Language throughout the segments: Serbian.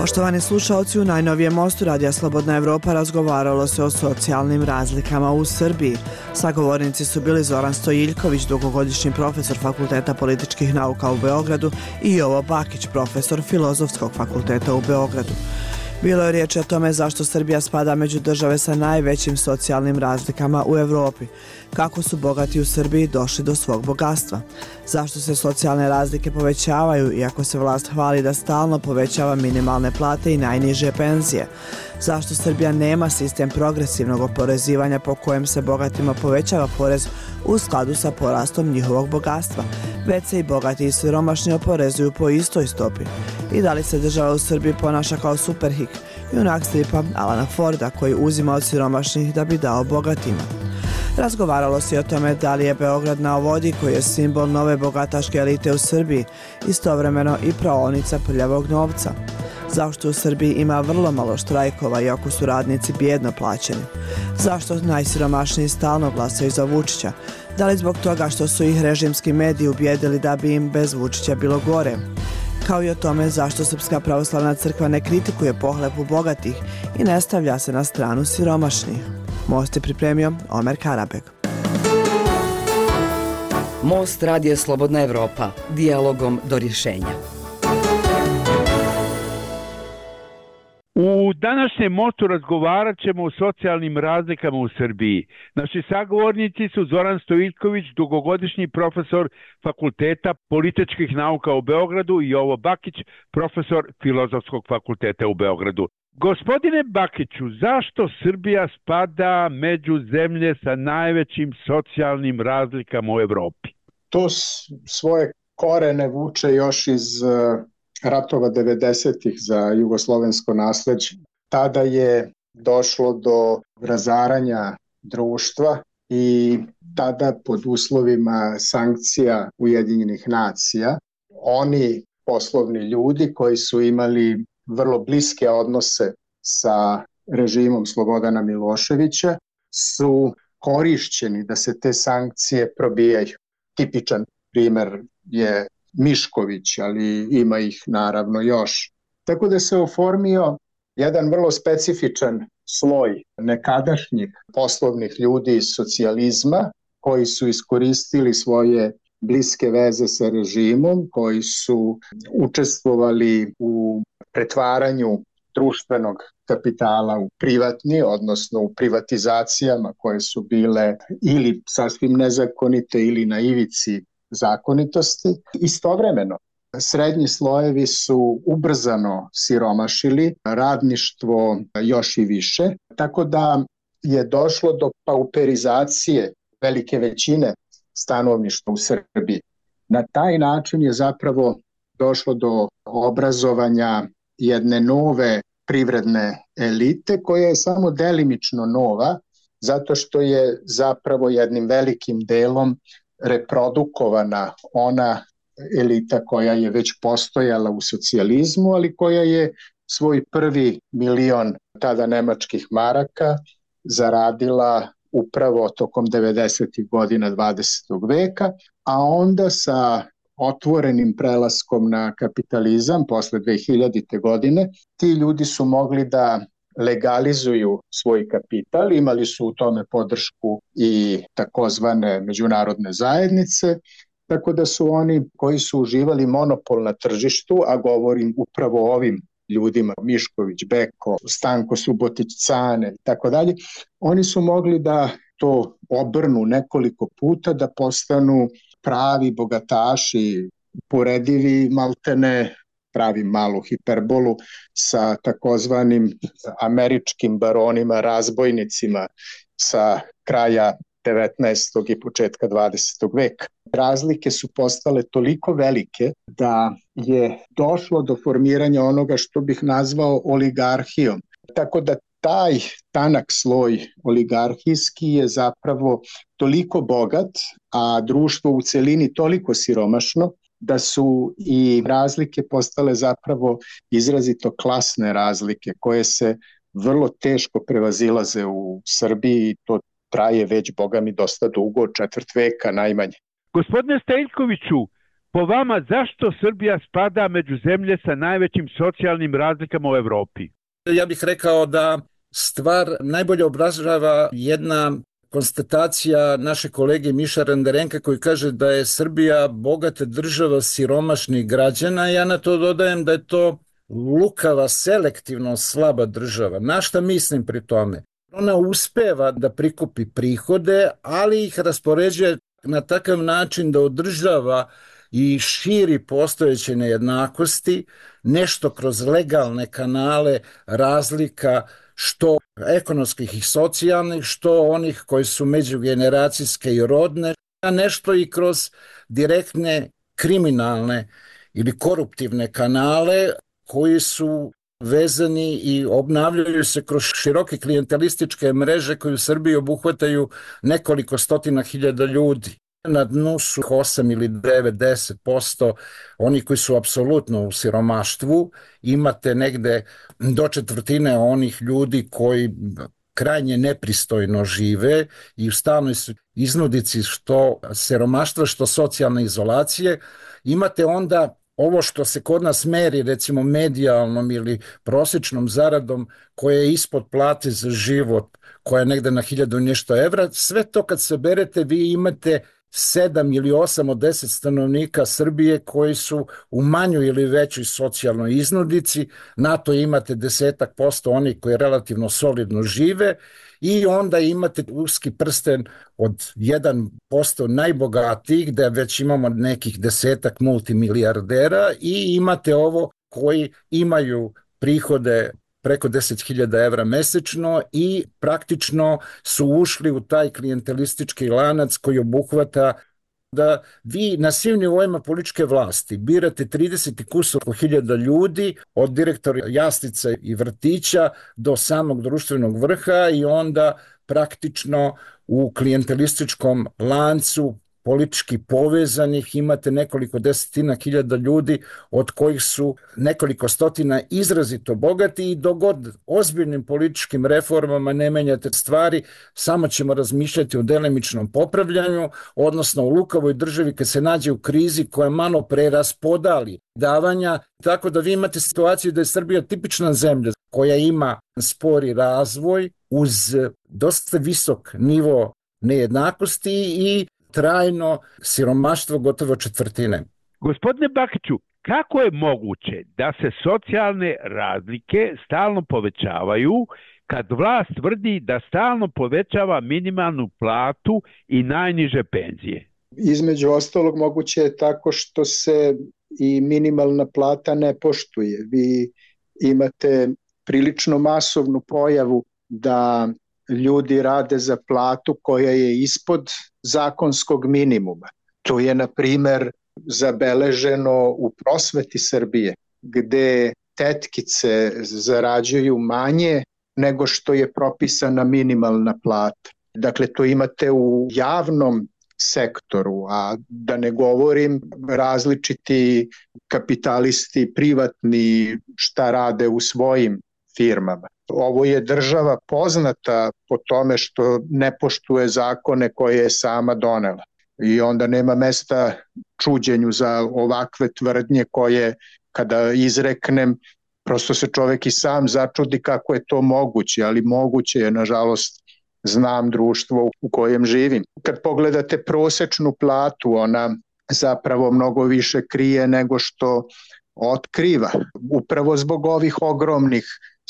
Poštovani slušaoci, u najnovijem mostu Radija Slobodna Evropa razgovaralo se o socijalnim razlikama u Srbiji. Sagovornici su bili Zoran Stojiljković, dugogodišnji profesor Fakulteta političkih nauka u Beogradu, i Jovo Bakić, profesor Filozofskog fakulteta u Beogradu. Bilo je riječi o tome zašto Srbija spada među države sa najvećim socijalnim razlikama u Evropi, kako su bogati u Srbiji došli do svog bogatstva, zašto se socijalne razlike povećavaju iako se vlast hvali da stalno povećava minimalne plate i najniže penzije, zašto Srbija nema sistem progresivnog oporezivanja po kojem se bogatima povećava porez u skladu sa porastom njihovog bogatstva, već se i bogati i siromašni oporezuju po istoj stopi, i da li se država u Srbiji ponaša kao Superhik, junak stripa Alana Forda koji uzima od siromašnih da bi dao bogatima. Razgovaralo se i o tome da li je Beograd na vodi, koji je simbol nove bogataške elite u Srbiji, istovremeno i praonica prljavog novca. Zašto u Srbiji ima vrlo malo štrajkova iako su radnici bijedno plaćeni? Zašto najsiromašniji stalno glasaju za Vučića? Da li zbog toga što su ih režimski mediji ubijedili da bi im bez Vučića bilo gore? Kao i o tome zašto Srpska pravoslavna crkva ne kritikuje pohlepu bogatih i ne stavlja se na stranu siromašnih. Most je pripremio Omer Karabek. Most Radija Slobodna Evropa, dijalogom do rješenja. U današnjem mostu razgovarat ćemo o socijalnim razlikama u Srbiji. Naši sagovornici su Zoran Stojiljković, dugogodišnji profesor Fakulteta političkih nauka u Beogradu, i Jovo Bakić, profesor Filozofskog fakulteta u Beogradu. Gospodine Bakiću, zašto Srbija spada među zemlje sa najvećim socijalnim razlikama u Evropi? To svoje korene vuče još iz ratova 90-ih za jugoslovensko nasleđe. Tada je došlo do razaranja društva i tada pod uslovima sankcija Ujedinjenih nacija oni poslovni ljudi koji su imali vrlo bliske odnose sa režimom Slobodana Miloševića su korišćeni da se te sankcije probijaju. Tipičan primer je Mišković, ali ima ih naravno još. Tako da se oformio jedan vrlo specifičan sloj nekadašnjih poslovnih ljudi iz socijalizma koji su iskoristili svoje bliske veze sa režimom, koji su učestvovali u pretvaranju društvenog kapitala u privatni, odnosno u privatizacijama koje su bile ili sasvim nezakonite ili na ivici zakonitosti. Istovremeno, srednji slojevi su ubrzano siromašili, radništvo još i više, tako da je došlo do pauperizacije velike većine stanovništva u Srbiji. Na taj način je zapravo došlo do obrazovanja jedne nove privredne elite koja je samo delimično nova, zato što je zapravo jednim velikim delom reprodukovana ona elita koja je već postojala u socijalizmu, ali koja je svoj prvi milion tada nemačkih maraka zaradila upravo tokom 90. godina 20. veka, a onda sa otvorenim prelaskom na kapitalizam posle 2000. godine ti ljudi su mogli da legalizuju svoj kapital, imali su u tome podršku i takozvane međunarodne zajednice, tako da su oni koji su uživali monopol na tržištu, a govorim upravo o ovim ljudima, Mišković, Beko, Stanko Subotić, Cane i tako dalje, oni su mogli da to obrnu nekoliko puta, da postanu pravi bogataši, poredivi maltene, pravim malu hiperbolu, sa takozvanim američkim baronima, razbojnicima sa kraja 19. i početka 20. veka. Razlike su postale toliko velike da je došlo do formiranja onoga što bih nazvao oligarhijom. Tako da taj tanak sloj oligarhijski je zapravo toliko bogat, a društvo u celini toliko siromašno, da su i razlike postale zapravo izrazito klasne razlike koje se vrlo teško prevazilaze u Srbiji i to traje već, boga mi, dosta dugo, četvrt veka najmanje. Gospodine Stojiljkoviću, Po vama, zašto Srbija spada među zemlje sa najvećim socijalnim razlikama u Evropi? Ja bih rekao da stvar najbolje obražava jedna konstatacija naše kolege Miša Renderenka koji kaže da je Srbija bogata država siromašnih građana. Ja na to dodajem da je to lukava, selektivno slaba država. Na šta mislim pri tome? Ona uspeva da prikupi prihode, ali ih raspoređuje na takav način da održava i širi postojeće nejednakosti, nešto kroz legalne kanale razlika, što ekonomskih i socijalnih, što onih koji su međugeneracijske i rodne, a nešto i kroz direktne kriminalne ili koruptivne kanale koji su vezani i obnavljaju se kroz široke klijentelističke mreže koje u Srbiji obuhvataju nekoliko stotina hiljada ljudi. Na dnu su 8 ili 9, 10% oni koji su apsolutno u siromaštvu. Imate negde do četvrtine onih ljudi koji krajnje nepristojno žive i u stalnoj su iznudici što siromaštva, što socijalne izolacije. Imate onda ovo što se kod nas meri, recimo medijalnom ili prosječnom zaradom koja je ispod plate za život, koja je negde na 1000 i nešto evra, sve to kad se berete vi imate 7 ili 8 od 10 stanovnika Srbije koji su u manjoj ili većoj socijalnoj iznudici, na to imate 10% onih koji relativno solidno žive i onda imate uski prsten od 1% najbogatijih, gde već imamo nekih 10 multimilijardera i imate ovo koji imaju prihode preko 10.000 evra mesečno i praktično su ušli u taj klijentelistički lanac koji obuhvata da vi na svim nivoima političke vlasti birate 30 kusur hiljada ljudi, od direktora jaslica i vrtića do samog društvenog vrha i onda praktično u klijentelističkom lancu politički povezanih imate nekoliko desetina hiljada ljudi od kojih su nekoliko stotina izrazito bogati i dogod ozbiljnim političkim reformama ne menjate stvari, samo ćemo razmišljati o delimičnom popravljanju, odnosno u lukavoj državi kad se nađe u krizi koja malo preraspodali davanja, tako da vi imate situaciju da je Srbija tipična zemlja koja ima spori razvoj uz dosta visok nivo nejednakosti i trajno siromaštvo gotovo četvrtine. Gospodine Bakiću, kako je moguće da se socijalne razlike stalno povećavaju kad vlast tvrdi da stalno povećava minimalnu platu i najniže penzije? Između ostalog moguće je tako što se i minimalna plata ne poštuje. Vi imate prilično masovnu pojavu da ljudi rade za platu koja je ispod zakonskog minimuma. To je, na primer, zabeleženo u prosveti Srbije, gde tetkice zarađuju manje nego što je propisana minimalna plata. Dakle, to imate u javnom sektoru, a da ne govorim različiti kapitalisti, privatni, šta rade u svojim firmama. Ovo je država poznata po tome što ne poštuje zakone koje je sama donela. I onda nema mesta čuđenju za ovakve tvrdnje koje, kada izreknem, prosto se čovek i sam začudi kako je to moguće, ali moguće je, nažalost, znam društvo u kojem živim. Kad pogledate prosečnu platu, ona zapravo mnogo više krije nego što otkriva. Upravo zbog ovih ogromnih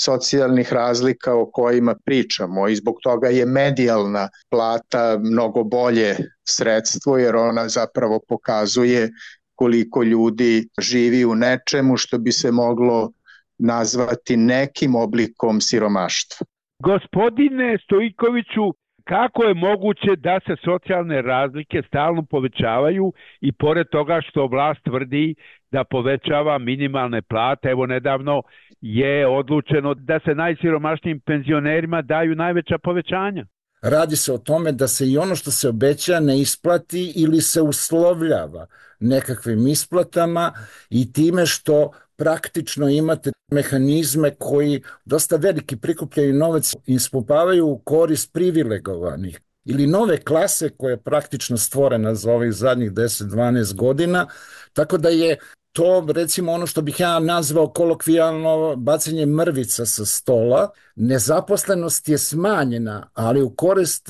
socijalnih razlika o kojima pričamo i zbog toga je medijalna plata mnogo bolje sredstvo jer ona zapravo pokazuje koliko ljudi živi u nečemu što bi se moglo nazvati nekim oblikom siromaštva. Gospodine Stojkoviću, kako je moguće da se socijalne razlike stalno povećavaju i pored toga što vlast tvrdi da povećava minimalne plate, evo nedavno je odlučeno da se najsiromašnijim penzionerima daju najveća povećanja? Radi se o tome da se i ono što se obeća ne isplati ili se uslovljava nekakvim isplatama i time što praktično imate mehanizme koji dosta veliki prikupljaju novac i ispumpavaju u korist privilegovanih. ili nove klase koja je praktično stvorena za ovih zadnjih 10-12 godina, tako da je to recimo ono što bih ja nazvao kolokvijalno bacanje mrvica sa stola. Nezaposlenost je smanjena, ali u korist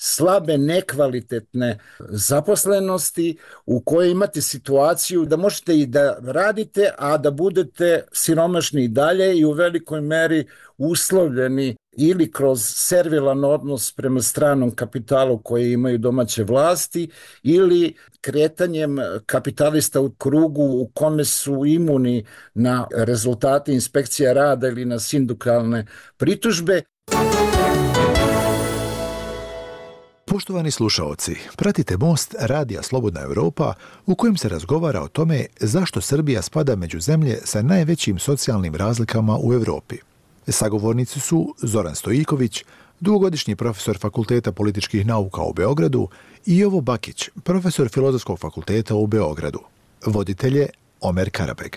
slabe, nekvalitetne zaposlenosti u kojoj imate situaciju da možete i da radite, a da budete siromašni i dalje i u velikoj meri uslovljeni ili kroz servilan odnos prema stranom kapitalu koje imaju domaće vlasti ili kretanjem kapitalista u krugu u kome su imuni na rezultate inspekcija rada ili na sindikalne pritužbe. Poštovani slušaoci, pratite Most Radija Slobodna Evropa u kojem se razgovara o tome zašto Srbija spada među zemlje sa najvećim socijalnim razlikama u Evropi. Sagovornici su Zoran Stojiljković, dugogodišnji profesor Fakulteta političkih nauka u Beogradu i Jovo Bakić, profesor Filozofskog fakulteta u Beogradu. Voditelj je Omer Karabeg.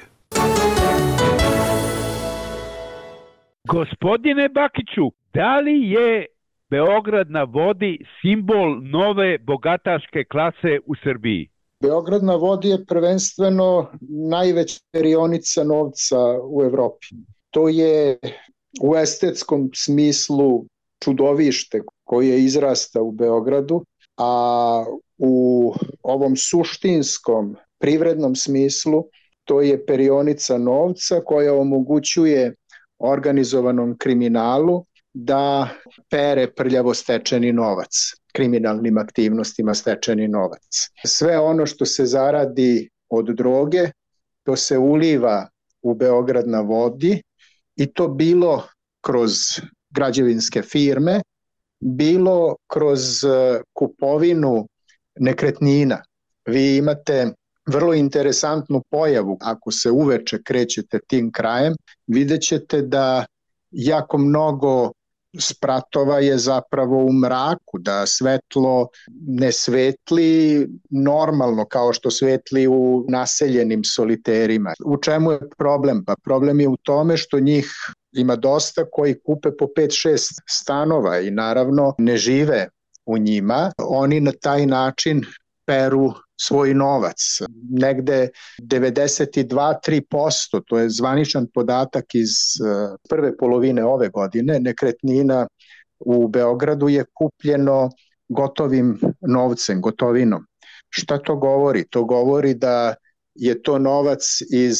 Gospodine Bakiću, da li je Beograd na vodi simbol nove bogataške klase u Srbiji? Beograd na vodi je prvenstveno najveća perionica novca u Evropi. To je u estetskom smislu čudovište koje izrasta u Beogradu, a u ovom suštinskom privrednom smislu to je perionica novca koja omogućuje organizovanom kriminalu da pere prljavo stečeni novac, kriminalnim aktivnostima stečeni novac. Sve ono što se zaradi od droge, to se uliva u Beograd na vodi i to bilo kroz građevinske firme, bilo kroz kupovinu nekretnina. Vi imate vrlo interesantnu pojavu, ako se uveče krećete tim krajem, vidjet ćete da jako mnogo spratova je zapravo u mraku, da svetlo ne svetli normalno kao što svetli u naseljenim soliterima. U čemu je problem? Pa problem je u tome što njih ima dosta koji kupe po 5-6 stanova i naravno ne žive u njima. Oni na taj način peru svoj novac. Negde 92-3%, to je zvaničan podatak iz prve polovine ove godine, nekretnina u Beogradu je kupljeno gotovim novcem, gotovinom. Šta to govori? To govori da je to novac iz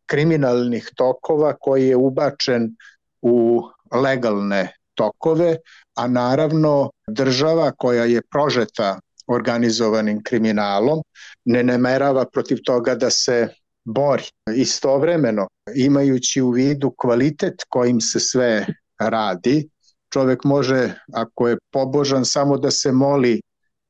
kriminalnih tokova koji je ubačen u legalne tokove, a naravno država koja je prožeta organizovanim kriminalom ne namerava protiv toga da se bori. Istovremeno, imajući u vidu kvalitet kojim se sve radi, čovjek može, ako je pobožan, samo da se moli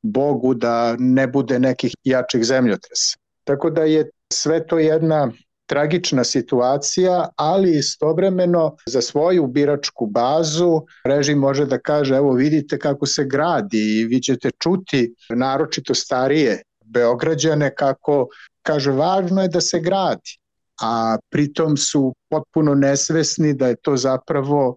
Bogu da ne bude nekih jačih zemljotresa. Tako da je sve to jedna tragična situacija, ali istovremeno za svoju biračku bazu režim može da kaže evo vidite kako se gradi i vi ćete čuti naročito starije Beograđane kako kaže važno je da se gradi, a pritom su potpuno nesvesni da je to zapravo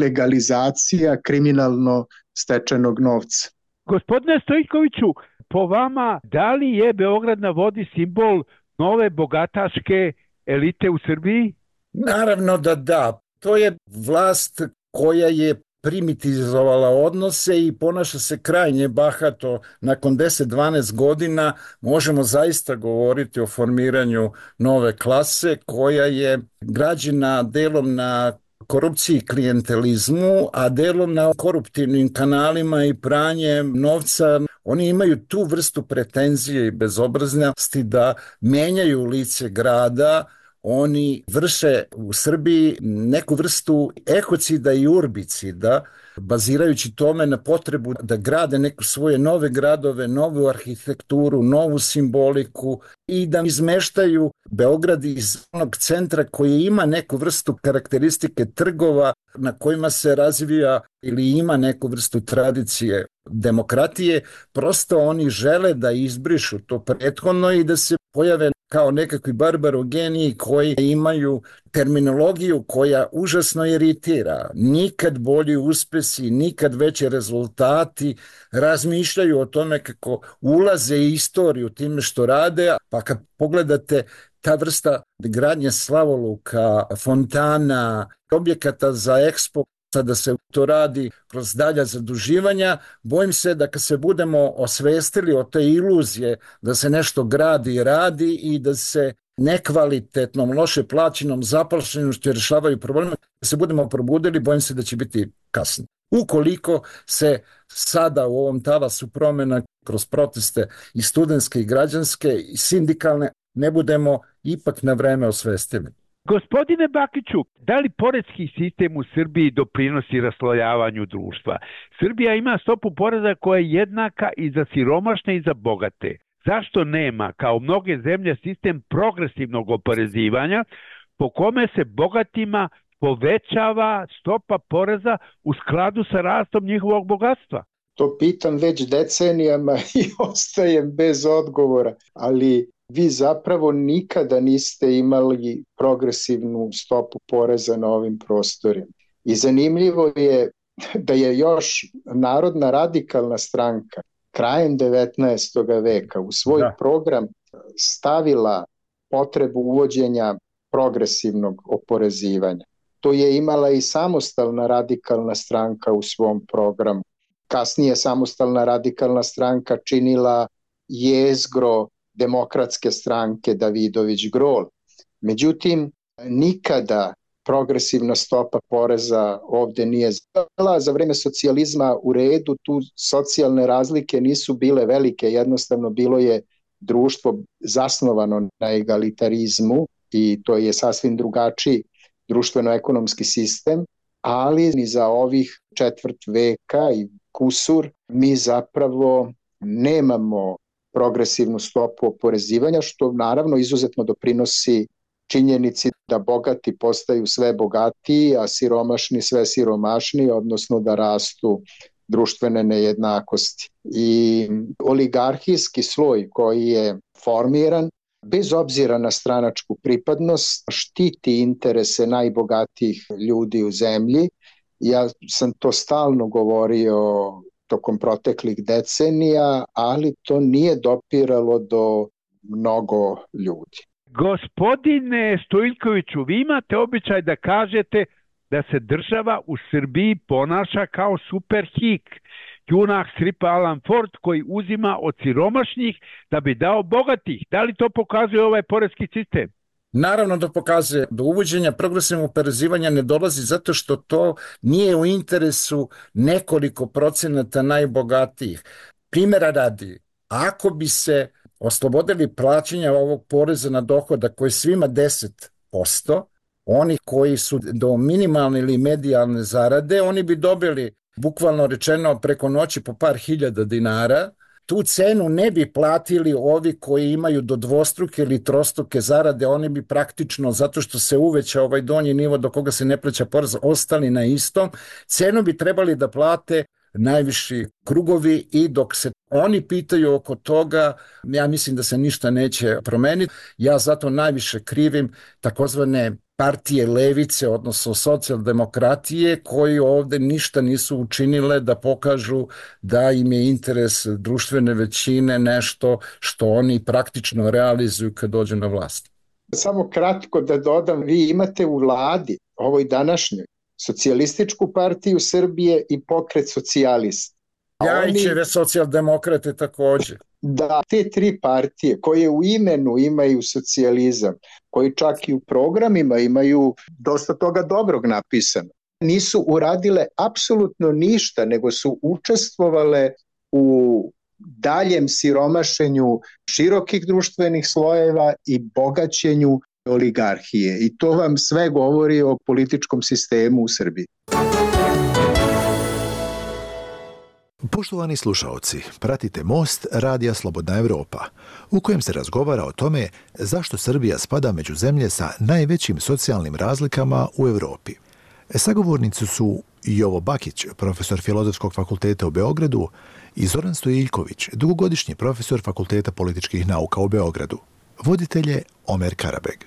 legalizacija kriminalno stečenog novca. Gospodine Stojiljkoviću, po vama, da li je Beograd na vodi simbol nove bogataške elite u Srbiji? Naravno da da. To je vlast koja je primitizovala odnose i ponaša se krajnje bahato. Nakon 10-12 godina možemo zaista govoriti o formiranju nove klase koja je građena delom na korupciji i klijentelizmu, a delom na koruptivnim kanalima i pranjem novca. Oni imaju tu vrstu pretenzije i bezobraznosti da menjaju lice grada. Oni vrše u Srbiji neku vrstu ekocida i urbicida, bazirajući tome na potrebu da grade neku svoje nove gradove, novu arhitekturu, novu simboliku i da izmeštaju Beograd iz onog centra koji ima neku vrstu karakteristike trgova na kojima se razvija ili ima neku vrstu tradicije demokratije. Prosto oni žele da izbrišu to prethodno i da se pojave kao nekakvi barbarogeniji koji imaju terminologiju koja užasno iritira. Nikad bolji uspesi, nikad veći rezultati, razmišljaju o tome kako ulaze istoriju time što rade, pa kad pogledate ta vrsta gradnje slavoluka, fontana, objekata za Expo, da se to radi kroz dalja zaduživanja, bojim se da kad se budemo osvestili o te iluzije da se nešto gradi i radi i da se nekvalitetnom, loše plaćenom zaposlenošću rješavaju probleme, da se budemo probudili, bojim se da će biti kasno. Ukoliko se sada u ovom talasu promjena kroz proteste i studentske i građanske i sindikalne ne budemo ipak na vreme osvestili. Gospodine Bakiću, da li poreski sistem u Srbiji doprinosi raslojavanju društva? Srbija ima stopu poreza koja je jednaka i za siromašne i za bogate. Zašto nema, kao mnoge zemlje, sistem progresivnog oporezivanja po kome se bogatima povećava stopa poreza u skladu sa rastom njihovog bogatstva? To pitam već decenijama i ostajem bez odgovora, ali vi zapravo nikada niste imali progresivnu stopu poreza na ovim prostorima. I zanimljivo je da je još Narodna radikalna stranka krajem 19. veka u svoj program stavila potrebu uvođenja progresivnog oporezivanja. To je imala i Samostalna radikalna stranka u svom programu. Kasnije Samostalna radikalna stranka činila jezgro Demokratske stranke Davidović Grol. Međutim, nikada progresivna stopa poreza ovde nije zvala. Za vreme socijalizma u redu, tu socijalne razlike nisu bile velike, jednostavno bilo je društvo zasnovano na egalitarizmu i to je sasvim drugačiji društveno-ekonomski sistem, ali ni za ovih četvrt veka i kusur mi zapravo nemamo progresivnu stopu oporezivanja, što naravno izuzetno doprinosi činjenici da bogati postaju sve bogatiji, a siromašni sve siromašniji, odnosno da rastu društvene nejednakosti. I oligarhijski sloj koji je formiran, bez obzira na stranačku pripadnost, štiti interese najbogatijih ljudi u zemlji. Ja sam to stalno govorio tokom proteklih decenija, ali to nije dopiralo do mnogo ljudi. Gospodine Stojiljkoviću, vi imate običaj da kažete da se država u Srbiji ponaša kao superhik, junak stripa Alan Ford koji uzima od siromašnih da bi dao bogatih. Da li to pokazuje ovaj poreski sistem? Naravno da pokazuje. Do uvođenja progresivnog oporezivanja ne dolazi zato što to nije u interesu nekoliko procenata najbogatijih. Primjera radi, ako bi se oslobodili plaćanja ovog poreza na dohodak koji je svima 10%, oni koji su do minimalne ili medijalne zarade, oni bi dobili, bukvalno rečeno, preko noći po par hiljada dinara. Tu cenu ne bi platili ovi koji imaju do dvostruke ili trostruke zarade, oni bi praktično, zato što se uveća ovaj donji nivo do koga se ne plaća porez, ostali na istom. Cenu bi trebali da plate najviši krugovi i dok se oni pitaju oko toga, ja mislim da se ništa neće promeniti. Ja zato najviše krivim takozvane partije levice, odnosno socijaldemokratije, koji ovde ništa nisu učinile da pokažu da im je interes društvene većine nešto što oni praktično realizuju kad dođu na vlast. Samo kratko da dodam, vi imate u vladi, ovoj današnjoj, Socijalističku partiju Srbije i Pokret socijalista. Ljajićeve socijaldemokrate takođe. Da, te tri partije koje u imenu imaju socijalizam, koji čak i u programima imaju dosta toga dobrog napisano, nisu uradile apsolutno ništa, nego su učestvovale u daljem siromašenju širokih društvenih slojeva i bogaćenju oligarhije. I to vam sve govori o političkom sistemu u Srbiji. Poštovani slušaoci, pratite Most Radija Slobodna Evropa, u kojem se razgovara o tome zašto Srbija spada među zemlje sa najvećim socijalnim razlikama u Evropi. Sagovornici su Jovo Bakić, profesor Filozofskog fakulteta u Beogradu, i Zoran Stojiljković, dugogodišnji profesor Fakulteta političkih nauka u Beogradu. Voditelj je Omer Karabeg.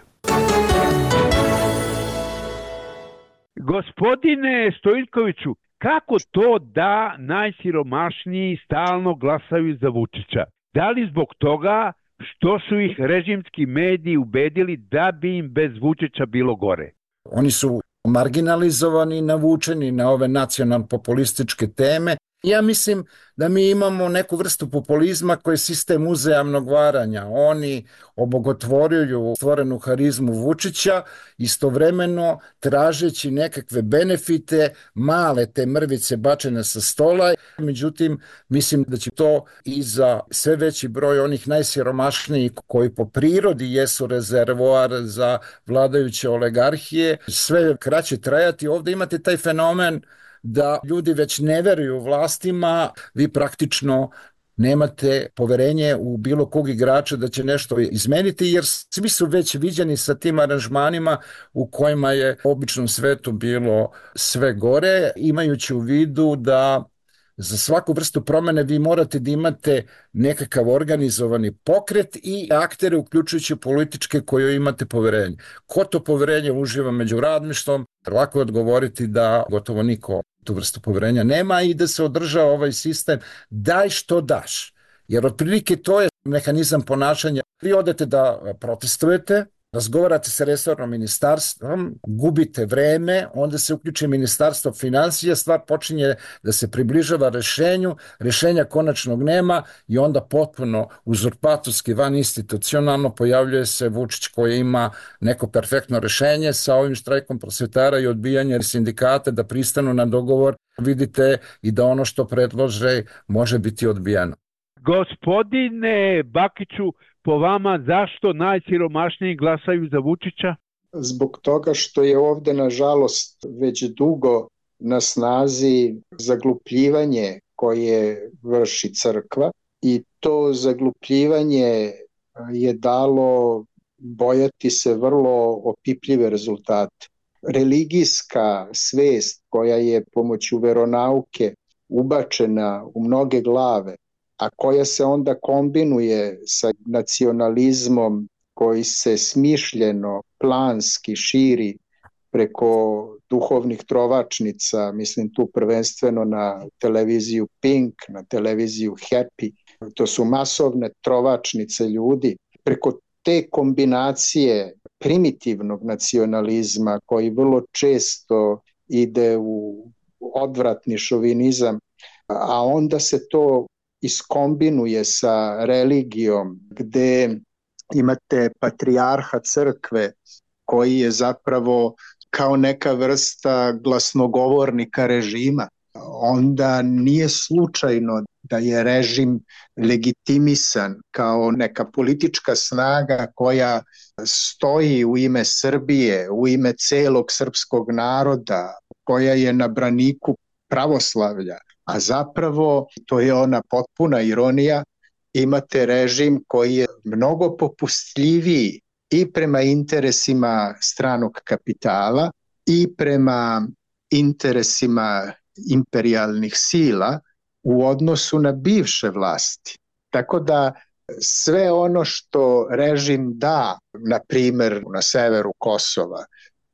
Gospodine Stojiljkoviću, kako to da najsiromašniji stalno glasaju za Vučića? Da li zbog toga što su ih režimski mediji ubedili da bi im bez Vučića bilo gore? Oni su marginalizovani, navučeni na ove nacionalno-populističke teme. Ja mislim da mi imamo neku vrstu populizma koji je sistem uzajamnog varanja. Oni obogotvoruju stvorenu harizmu Vučića, istovremeno tražeći nekakve benefite, male te mrvice bačene sa stola. Međutim, mislim da će to i za sve veći broj onih najsiromašnijih koji po prirodi jesu rezervoar za vladajuće oligarhije sve kraće trajati. Ovde imate taj fenomen da ljudi već ne veruju vlastima, vi praktično nemate poverenje u bilo kog igrača da će nešto izmeniti, jer svi su već viđeni sa tim aranžmanima u kojima je u običnom svetu bilo sve gore, imajući u vidu da za svaku vrstu promene vi morate da imate nekakav organizovani pokret i aktere, uključujući političke koje imate poverenje. Ko to poverenje uživa među radništvom? Lako je odgovoriti da gotovo niko tu vrstu poverenja nema i da se održava ovaj sistem daj što daš. Jer otprilike to je mehanizam ponašanja. Vi odete da protestujete, razgovarate sa resornom ministarstvom, gubite vreme, onda se uključi ministarstvo finansija, stvar počinje da se približava rešenju, rešenja konačnog nema i onda potpuno uzurpatorski, van institucionalno pojavljuje se Vučić koji ima neko perfektno rešenje sa ovim štrajkom prosvetara i odbijanje sindikata da pristanu na dogovor. Vidite i da ono što predlože može biti odbijeno. Gospodine Bakiću, po vama zašto najsiromašniji glasaju za Vučića? Zbog toga što je ovde, nažalost, već dugo na snazi zaglupljivanje koje vrši crkva i to zaglupljivanje je dalo bojati se vrlo opipljive rezultate. Religijska svest koja je pomoću veronauke ubačena u mnoge glave, a koja se onda kombinuje sa nacionalizmom koji se smišljeno, planski širi preko duhovnih trovačnica, mislim tu prvenstveno na televiziju Pink, na televiziju Happy, to su masovne trovačnice ljudi. Preko te kombinacije primitivnog nacionalizma koji vrlo često ide u odvratni šovinizam, a onda se to iskombinuje sa religijom gde imate patrijarha crkve koji je zapravo kao neka vrsta glasnogovornika režima. Onda nije slučajno da je režim legitimisan kao neka politička snaga koja stoji u ime Srbije, u ime celog srpskog naroda, koja je na braniku pravoslavlja. A zapravo, to je ona potpuna ironija, imate režim koji je mnogo popustljiviji i prema interesima stranog kapitala i prema interesima imperijalnih sila u odnosu na bivše vlasti. Tako da sve ono što režim da, na primer na severu Kosova,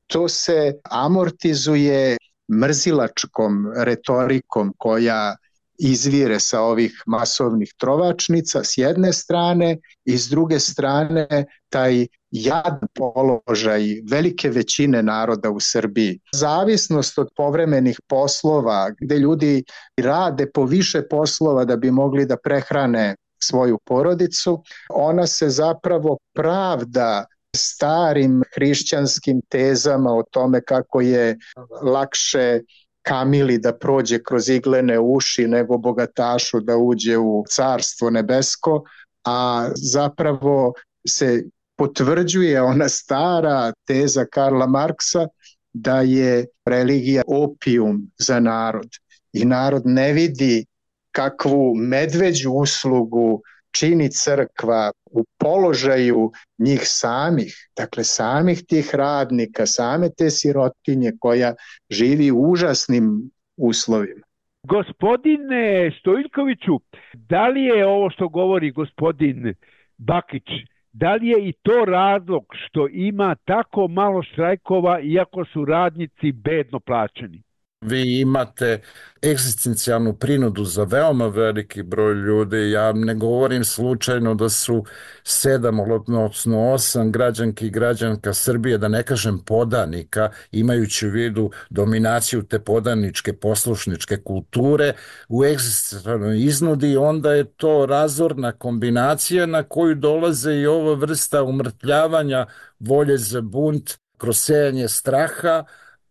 to se amortizuje mrzilačkom retorikom koja izvire sa ovih masovnih trovačnica s jedne strane i s druge strane taj jadan položaj velike većine naroda u Srbiji. Zavisnost od povremenih poslova gde ljudi rade po više poslova da bi mogli da prehrane svoju porodicu, ona se zapravo pravda starim hrišćanskim tezama o tome kako je lakše kamili da prođe kroz iglene uši nego bogatašu da uđe u carstvo nebesko, a zapravo se potvrđuje ona stara teza Karla Marksa da je religija opijum za narod i narod ne vidi kakvu medveđu uslugu čini crkva u položaju njih samih, dakle samih tih radnika, same te sirotinje koja živi u užasnim uslovima. Gospodine Stojiljkoviću, da li je ovo što govori gospodin Bakić Da li je i to razlog što ima tako malo štrajkova iako su radnici bedno plaćeni? Vi imate egzistencijalnu prinudu za veoma veliki broj ljudi. Ja ne govorim slučajno da su 7, odnosno 8 građanki i građanka Srbije, da ne kažem podanika, imajući u vidu dominaciju te podaničke poslušničke kulture u egzistencijalnoj iznudi, onda je to razorna kombinacija na koju dolaze i ova vrsta umrtljavanja volje za bunt kroz sejanje straha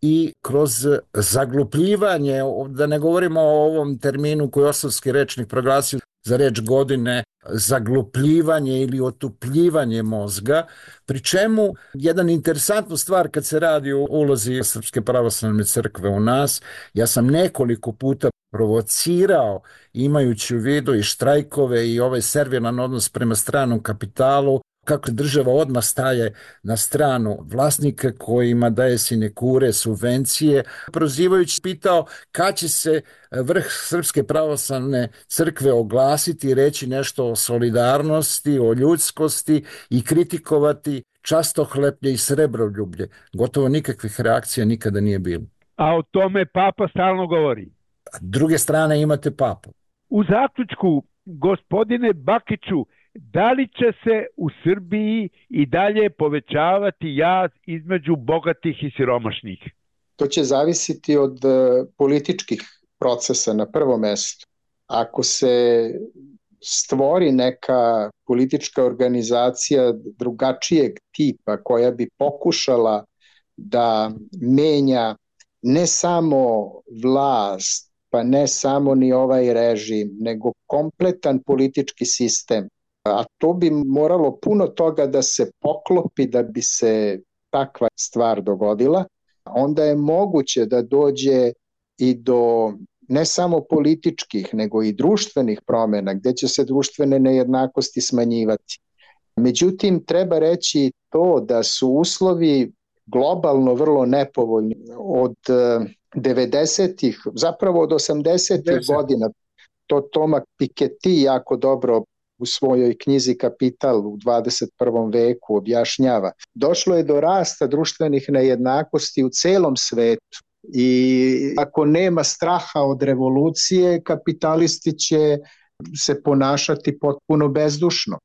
i kroz zaglupljivanje, da ne govorimo o ovom terminu koji Osovski rečnik proglasio za reč godine, zaglupljivanje ili otupljivanje mozga, pri čemu jedan interesantna stvar kad se radi o ulozi Srpske pravoslavne crkve u nas, ja sam nekoliko puta provocirao, imajući u vidu i štrajkove i ovaj servilan odnos prema stranom kapitalu, kako država odmah staje na stranu vlasnika kojima daje sinekure, subvencije, prozivajući pitao kad će se vrh Srpske pravoslavne crkve oglasiti i reći nešto o solidarnosti, o ljudskosti i kritikovati častohleplje i srebroljublje. Gotovo nikakvih reakcija nikada nije bilo. A o tome Papa stalno govori. S druge strane imate Papu. U zaključku, gospodine Bakiću, da li će se u Srbiji i dalje povećavati jaz između bogatih i siromašnih? To će zavisiti od političkih procesa na prvom mestu. Ako se stvori neka politička organizacija drugačijeg tipa koja bi pokušala da menja ne samo vlast, pa ne samo ni ovaj režim, nego kompletan politički sistem, a to bi moralo puno toga da se poklopi da bi se takva stvar dogodila, onda je moguće da dođe i do ne samo političkih, nego i društvenih promjena, gdje će se društvene nejednakosti smanjivati. Međutim, treba reći to da su uslovi globalno vrlo nepovoljni od 90-ih, zapravo od 80-ih godina. To Thomas Piketty jako dobro u svojoj knjizi Kapital u 21. veku objašnjava. Došlo je do rasta društvenih nejednakosti u celom svetu i ako nema straha od revolucije, kapitalisti će se ponašati potpuno bezdušno,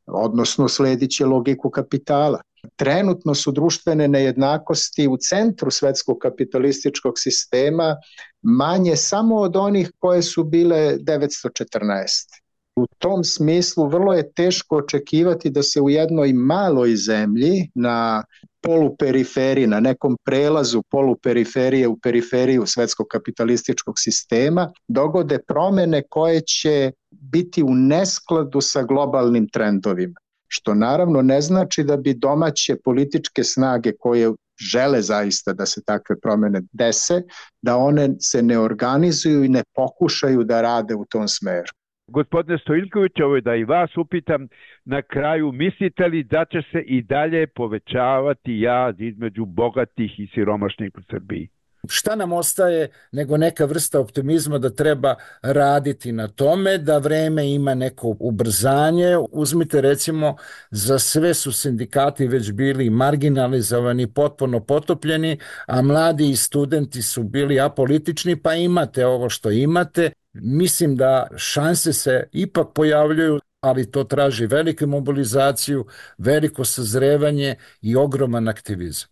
odnosno sledit će logiku kapitala. Trenutno su društvene nejednakosti u centru svetskog kapitalističkog sistema manje samo od onih koje su bile 914. U tom smislu vrlo je teško očekivati da se u jednoj maloj zemlji na poluperiferiji, na nekom prelazu poluperiferije u periferiju svetskog kapitalističkog sistema dogode promjene koje će biti u neskladu sa globalnim trendovima. Što naravno ne znači da bi domaće političke snage koje žele zaista da se takve promjene dese, da one se ne organizuju i ne pokušaju da rade u tom smeru. Gospodine Stojiljković, ovo je da i vas upitam na kraju, mislite li da će se i dalje povećavati jaz između bogatih i siromašnih u Srbiji? Šta nam ostaje nego neka vrsta optimizma da treba raditi na tome, da vreme ima neko ubrzanje. Uzmite recimo, za sve su sindikati već bili marginalizovani, potpuno potopljeni, a mladi i studenti su bili apolitični, pa imate ovo što imate. Mislim da šanse se ipak pojavljuju, ali to traži veliku mobilizaciju, veliko sazrevanje i ogroman aktivizam.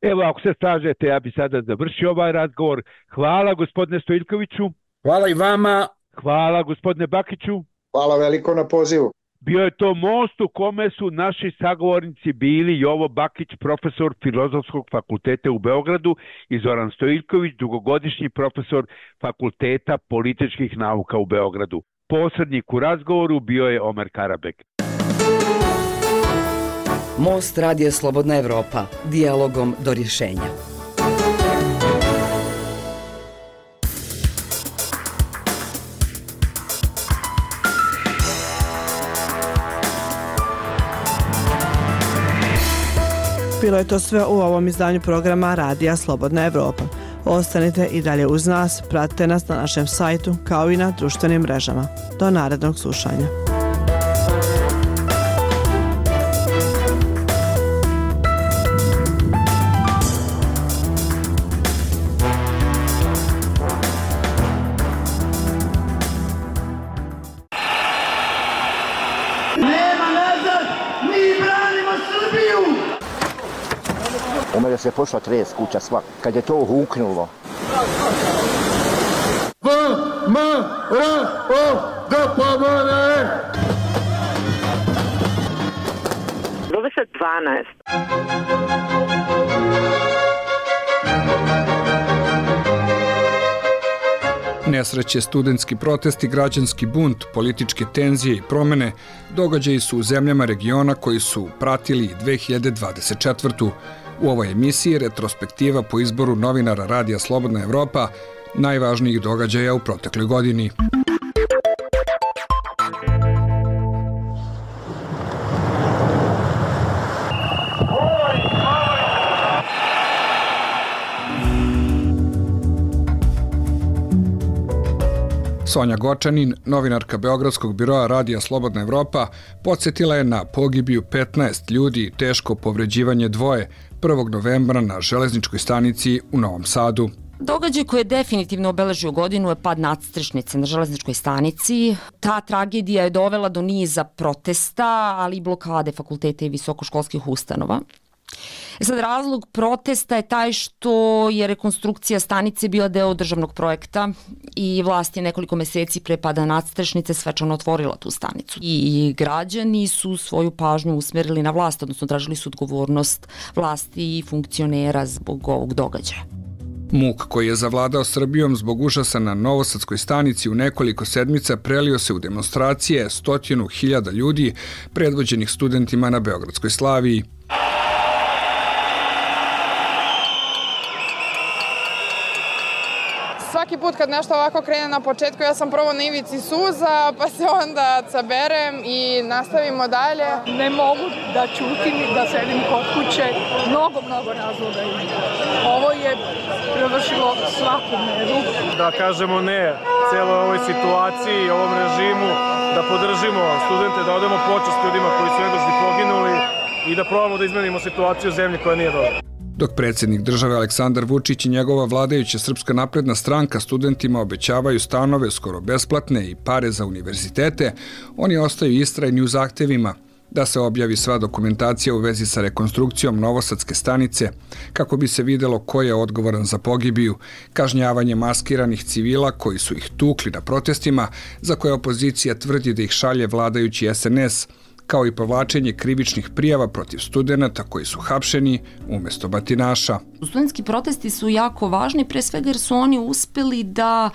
Evo, ako se slažete, ja bi sada završio ovaj razgovor. Hvala gospodine Stojiljkoviću. Hvala i vama. Hvala gospodine Bakiću. Hvala veliko na pozivu. Bio je to most u kome su naši sagovornici bili Jovo Bakić, profesor Filozofskog fakulteta u Beogradu, i Zoran Stojiljković, dugogodišnji profesor Fakulteta političkih nauka u Beogradu. Posrednik u razgovoru bio je Omer Karabek. Most Radija Slobodna Evropa. Dijalogom do rješenja. Bilo je to sve u ovom izdanju programa Radija Slobodna Evropa. Ostanite i dalje uz nas, pratite nas na našem sajtu kao i na društvenim mrežama. Do narednog slušanja. U mene se pošla tres kuća sva, kad je to huknulo. Zove se 12. Nesreće, studentski protesti, građanski bunt, političke tenzije i promene događaji su u zemljama regiona koji su pratili 2024. U ovoj emisiji retrospektiva po izboru novinara Radija Slobodna Evropa najvažnijih događaja u protekloj godini. Sonja Gočanin, novinarka Beogradskog biroa Radija Slobodna Evropa, podsjetila je na pogibiju 15 ljudi i teško povređivanje dvoje 1. novembra na železničkoj stanici u Novom Sadu. Događaj koji je definitivno obeležio godinu je pad nadstrešnice na železničkoj stanici. Ta tragedija je dovela do niza protesta, ali i blokade fakulteta i visokoškolskih ustanova. Sad, razlog protesta je taj što je rekonstrukcija stanice bila deo državnog projekta i vlast je nekoliko meseci pre pada nadstrešnice svečano otvorila tu stanicu. I građani su svoju pažnju usmerili na vlast, odnosno tražili su odgovornost vlasti i funkcionera zbog ovog događaja. Muk koji je zavladao Srbijom zbog užasa na Novosadskoj stanici u nekoliko sedmica prelio se u demonstracije 100.000 ljudi predvođenih studentima na Beogradskoj Slaviji. Svaki put kad nešto ovako krene na početku, ja sam prvo na ivici suza, pa se onda saberem i nastavimo dalje. Ne mogu da ćutim i da sedim kod kuće. Mnogo razloga ima. Ovo je prevršilo svaku meru. Da kažemo ne celoj ovoj situaciji, ovom režimu, da podržimo studente, da odemo počast ljudima koji su nedužni poginuli i da probamo da izmenimo situaciju u zemlji koja nije dobra. Dok predsjednik države Aleksandar Vučić i njegova vladajuća Srpska napredna stranka studentima obećavaju stanove skoro besplatne i pare za univerzitete, oni ostaju istrajni u zahtevima da se objavi sva dokumentacija u vezi sa rekonstrukcijom Novosadske stanice, kako bi se videlo ko je odgovoran za pogibiju, kažnjavanje maskiranih civila koji su ih tukli na protestima, za koje opozicija tvrdi da ih šalje vladajući SNS, kao i povlačenje krivičnih prijava protiv studenata koji su hapšeni umjesto batinaša. Studentski protesti su jako važni, pre svega jer su oni uspeli da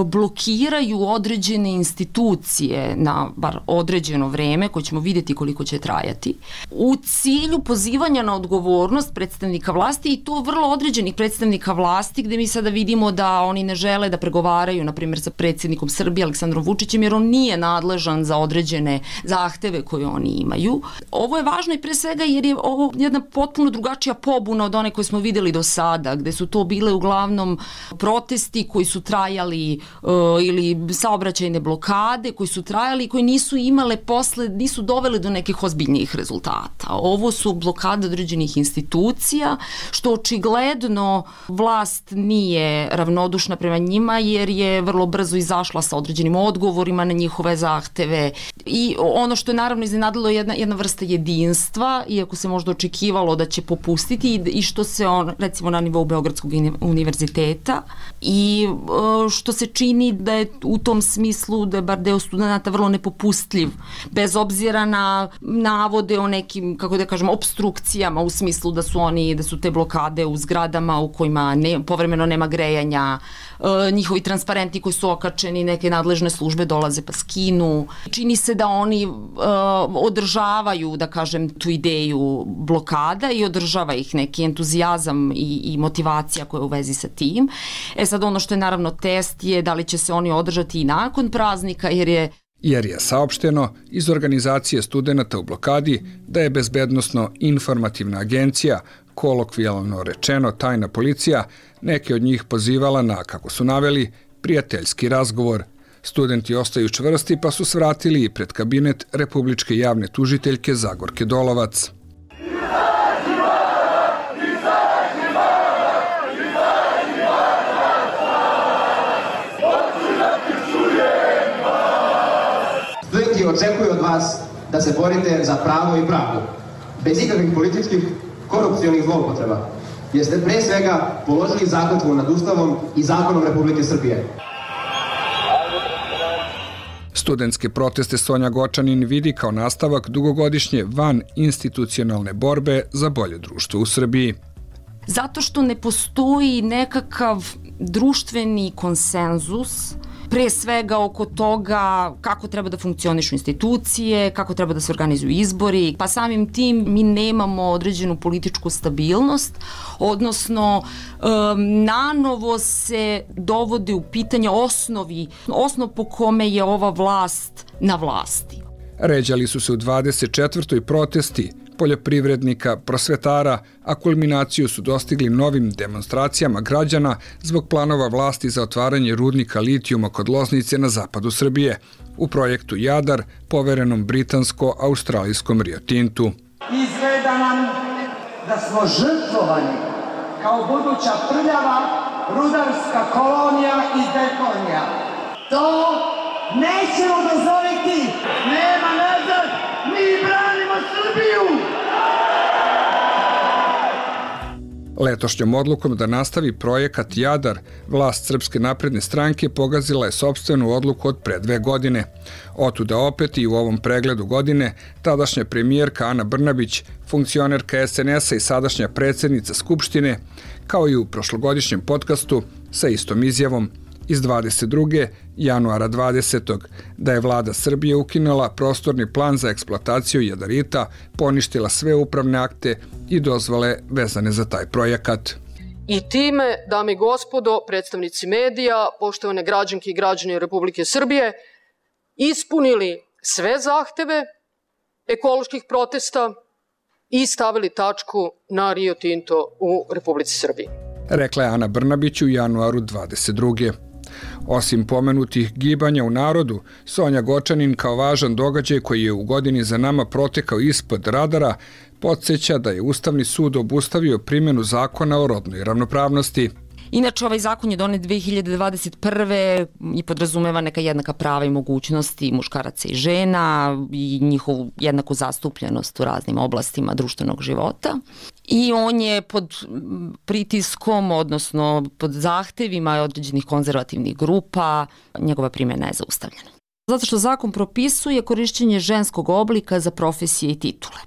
blokiraju određene institucije na bar određeno vreme, koje ćemo vidjeti koliko će trajati, u cilju pozivanja na odgovornost predstavnika vlasti i to vrlo određenih predstavnika vlasti, gde mi sada vidimo da oni ne žele da pregovaraju, na primjer, sa predsjednikom Srbije Aleksandrom Vučićem, jer on nije nadležan za određene zahteve koje oni imaju. Ovo je važno i pre svega jer je ovo jedna potpuno drugačija pobuna od one koje smo videli do sada, gde su to bile uglavnom protesti koji su trajali ili saobraćajne blokade koji su trajali i koji nisu imale posle, nisu dovele do nekih ozbiljnijih rezultata. Ovo su blokade određenih institucija, što očigledno vlast nije ravnodušna prema njima, jer je vrlo brzo izašla sa određenim odgovorima na njihove zahteve. I ono što je naravno iznenadilo je jedna vrsta jedinstva, iako se možda očekivalo da će popustiti i što se recimo na nivou Beogradskog univerziteta i što se čini da je u tom smislu da je bar deo studenta vrlo nepopustljiv, bez obzira na navode o nekim, kako da kažem, obstrukcijama u smislu da su te blokade u zgradama u kojima povremeno nema grejanja, njihovi transparenti koji su okačeni, neke nadležne službe dolaze pa skinu. Čini se da oni održavaju, da kažem, tu ideju blokada i održava ih neki entuzijazam i motivacija koja je u vezi sa tim. Sad ono što je naravno test je da li će se oni održati i nakon praznika, jer je saopšteno iz organizacije studenata u blokadi da je Bezbednosno-informativna agencija, kolokvijalno rečeno tajna policija, neke od njih pozivala na, kako su naveli, prijateljski razgovor. Studenti ostaju čvrsti pa su svratili i pred kabinet Republičke javne tužiteljke Zagorke Dolovac. Studenti očekuju od vas da se borite za pravo i pravdu, bez ikakvih političkih korupcionih zloupotreba, jer ste pre svega položili zakletvu nad Ustavom i zakonom Republike Srbije. Studentske proteste Sonja Gočanin vidi kao nastavak dugogodišnje van institucionalne borbe za bolje društvo u Srbiji. Zato što ne postoji nekakav društveni konsenzus, pre svega oko toga kako treba da funkcionišu institucije, kako treba da se organizuju izbori, pa samim tim mi nemamo određenu političku stabilnost, odnosno nanovo se dovode u pitanje osnov po kome je ova vlast na vlasti. Ređali su se u 24. protesti poljoprivrednika, prosvetara, a kulminaciju su dostigli novim demonstracijama građana zbog planova vlasti za otvaranje rudnika litijuma kod Loznice na zapadu Srbije u projektu Jadar, poverenom britansko-australijskom Rio Tintu. Izgleda nam da smo žrtvovani kao buduća prljava rudarska kolonija i deponija. To nećemo dozvoliti! Nema nazad! Mi branimo Srbiju! Letošnjom odlukom da nastavi projekat Jadar, vlast Srpske napredne stranke pogazila je sopstvenu odluku od pre 2 godine. Otuda opet i u ovom pregledu godine tadašnja premijerka Ana Brnabić, funkcionerka SNS-a i sadašnja predsjednica Skupštine, kao i u prošlogodišnjem podcastu sa istom izjavom iz 22. januara 20. da je vlada Srbije ukinula prostorni plan za eksploataciju jadarita, poništila sve upravne akte i dozvole vezane za taj projekat. I time, dame i gospodo, predstavnici medija, poštovane građanke i građani Republike Srbije, ispunili sve zahteve ekoloških protesta i stavili tačku na Rio Tinto u Republici Srbiji. Rekla je Ana Brnabić u januaru 22. Osim pomenutih gibanja u narodu, Sonja Gočanin kao važan događaj koji je u godini za nama protekao ispod radara, podsjeća da je Ustavni sud obustavio primjenu zakona o rodnoj ravnopravnosti. Inače, ovaj zakon je donet 2021. i podrazumeva neka jednaka prava i mogućnosti muškaraca i žena i njihovu jednaku zastupljenost u raznim oblastima društvenog života. I on je pod pritiskom, odnosno pod zahtevima određenih konzervativnih grupa, njegova primjena je zaustavljena. Zato što zakon propisuje korišćenje ženskog oblika za profesije i titule.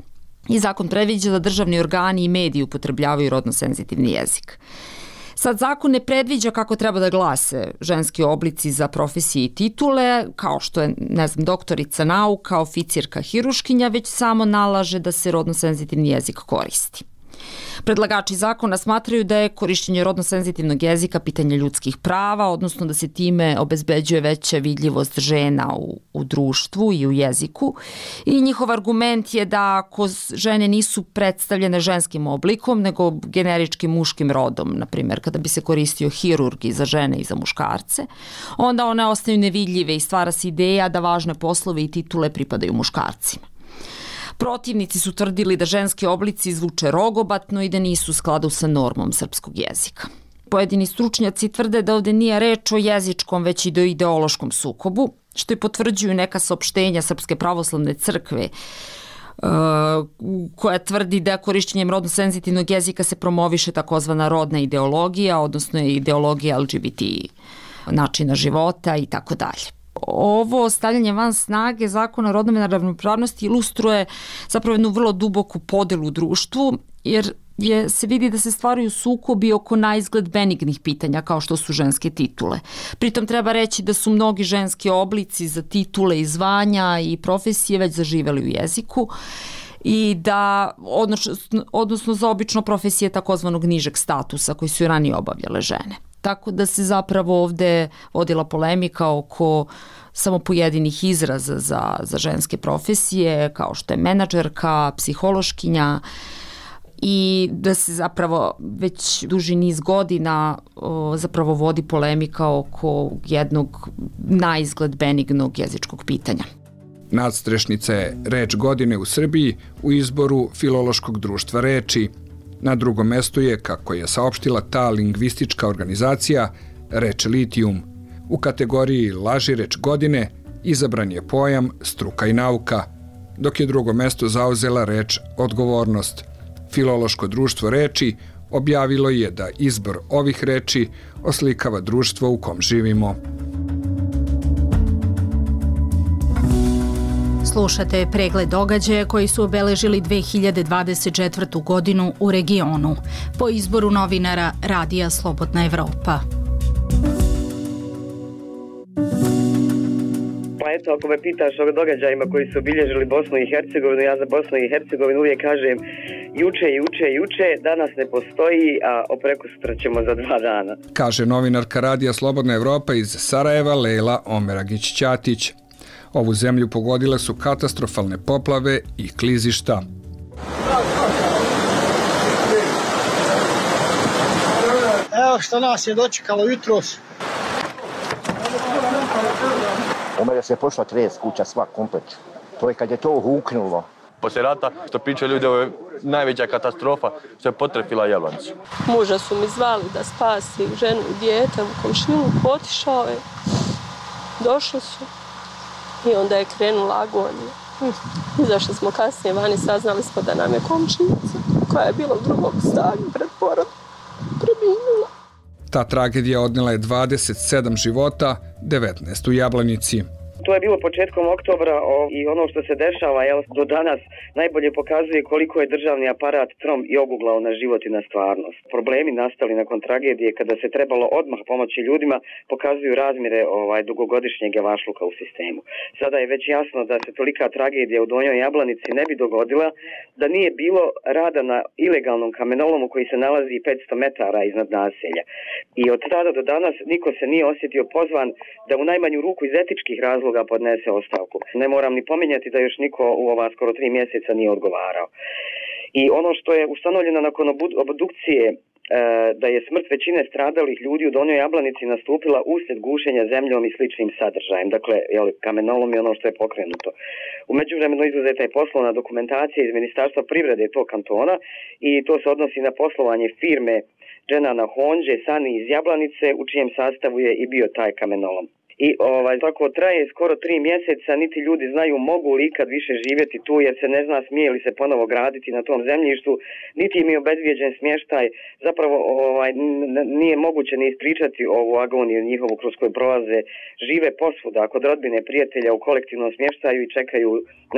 I zakon predviđa da državni organi i mediji upotrebljavaju rodno senzitivni jezik. Sad, zakon ne predviđa kako treba da glase ženski oblici za profesije i titule, kao što je, doktorica nauka, oficirka, hiruškinja, već samo nalaže da se rodno senzitivni jezik koristi. Predlagači zakona smatraju da je korišćenje rodno senzitivnog jezika pitanje ljudskih prava, odnosno da se time obezbeđuje veća vidljivost žena u društvu i u jeziku. I njihov argument je da ako žene nisu predstavljene ženskim oblikom, nego generičkim muškim rodom, na primjer kada bi se koristio hirurg i za žene i za muškarce, onda one ostaju nevidljive i stvara se ideja da važne poslove i titule pripadaju muškarcima. Protivnici su tvrdili da ženski oblici zvuče rogobatno i da nisu u skladu sa normom srpskog jezika. Pojedini stručnjaci tvrde da ovde nije reč o jezičkom, već i o ideološkom sukobu, što i potvrđuju neka saopštenja Srpske pravoslavne crkve, koja tvrdi da korišćenjem rodno senzitivnog jezika se promoviše takozvana rodna ideologija, odnosno ideologija LGBT načina života i tako dalje. Ovo stavljanje van snage zakona o rodnoj ravnopravnosti ilustruje zapravo jednu vrlo duboku podelu u društvu, jer se vidi da se stvaraju sukobi oko naizgled benignih pitanja kao što su ženske titule. Pritom treba reći da su mnogi ženski oblici za titule i zvanja i profesije već zaživeli u jeziku i da, odnosno za obično profesije takozvanog nižeg statusa koji su i ranije obavljale žene. Tako da se zapravo ovde vodila polemika oko samo pojedinih izraza za ženske profesije, kao što je menadžerka, psihološkinja, i da se zapravo već duži niz godina zapravo vodi polemika oko jednog naizgled benignog jezičkog pitanja. Nadstrešnica je reč godine u Srbiji u izboru Filološkog društva reči. Na drugom mestu je, kako je saopštila ta lingvistička organizacija, reč litijum. U kategoriji laži reč godine izabran je pojam struka i nauka, dok je drugo mesto zauzela reč odgovornost. Filološko društvo reči objavilo je da izbor ovih reči oslikava društvo u kom živimo. Slušate pregled događaja koji su obeležili 2024. godinu u regionu po izboru novinara Radija Slobodna Evropa. Pa eto, ako me pitaš o događajima koji su obilježili Bosnu i Hercegovinu, ja za Bosnu i Hercegovinu uvijek kažem juče, danas ne postoji, a prekosutra ćemo za 2 dana. Kaže novinarka Radija Slobodna Evropa iz Sarajeva Lejla Omeragić-Ćatić. Ovu zemlju pogodile su katastrofalne poplave i klizišta. Evo što nas je dočekalo jutros. U mene se pošla 30 kuća, sva komplet. To je kad je to huknulo. Poslije rata, što pričaju ljudi, ovo je najveća katastrofa što je potrefila Jablanicu. Muža su mi zvali da spasi ženu i dijete u komšiluku, otišao je. Došli su i onda je krenula agonija. Izašli smo kasnije vani, saznali smo da nam je komšinica, koja je bila u drugom stanju pred porodom, preminula. Ta tragedija odnela je 27 života, 19 u Jablanici. To je bilo početkom oktobra i ono što se dešava do danas najbolje pokazuje koliko je državni aparat trom i oguglao na život i na stvarnost. Problemi nastali nakon tragedije kada se trebalo odmah pomoći ljudima pokazuju razmjere dugogodišnjeg javašluka u sistemu. Sada je već jasno da se tolika tragedija u Donjoj Jablanici ne bi dogodila da nije bilo rada na ilegalnom kamenolomu koji se nalazi 500 metara iznad naselja. I od tada do danas niko se nije osjetio pozvan da u najmanju ruku iz etičkih razloga podnese ostavku. Ne moram ni pominjati da još niko u ova skoro 3 mjeseca nije odgovarao. I ono što je ustanovljeno nakon obdukcije da je smrt većine stradalih ljudi u Donjoj Jablanici nastupila uslijed gušenja zemljom i sličnim sadržajem. Dakle, kamenolom je ono što je pokrenuto. U međuvremenu izuzeta je poslovna dokumentacija iz Ministarstva privrede tog kantona i to se odnosi na poslovanje firme Dženana Honđe, Sani iz Jablanice, u čijem sastavu je i bio taj kamenolom. I tako traje skoro 3 mjeseca, niti ljudi znaju mogu li ikad više živjeti tu, jer se ne zna smije li se ponovo graditi na tom zemljištu, niti im je obezvijeđen smještaj. Zapravo nije moguće ni ispričati ovu agoniju njihovu kroz koju prolaze. Žive posvuda kod rodbine, prijatelja u kolektivnom smještaju i čekaju,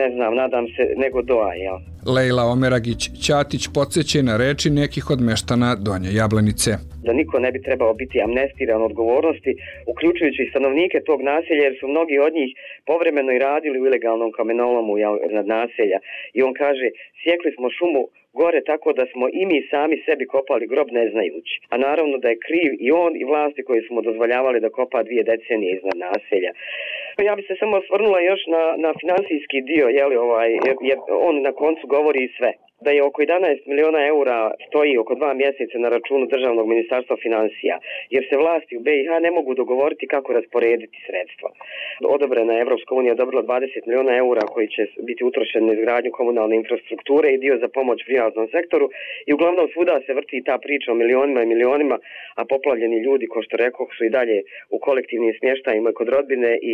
ne znam, nadam se, nego doa, jel? Lejla Omeragić-Ćatić podsjeća na reči nekih od meštana Donje Jablanice. Da niko ne bi trebao biti amnestiran odgovornosti, uključujući i stanovnike tog naselja, jer su mnogi od njih povremeno i radili u ilegalnom kamenolomu nad naselja. I on kaže, sjekli smo šumu gore tako da smo i mi sami sebi kopali grob ne znajući. A naravno da je kriv i on i vlasti koji su mu dozvoljavali da kopa 2 decenije iznad naselja. Ja bi se samo osvrnula još na finansijski dio, jer on na koncu govori i sve. Da je oko 11 miliona eura stoji oko 2 mjeseca na računu Državnog ministarstva financija, jer se vlasti u BiH ne mogu dogovoriti kako rasporediti sredstva. Odobrena je Evropska unija odobrila 20 miliona eura koji će biti utrošeni na izgradnju komunalne infrastrukture i dio za pomoć privatnom sektoru i uglavnom svuda se vrti ta priča o milionima i milionima, a poplavljeni ljudi, ko što rekoh, su i dalje u kolektivnim smještajima kod rodbine i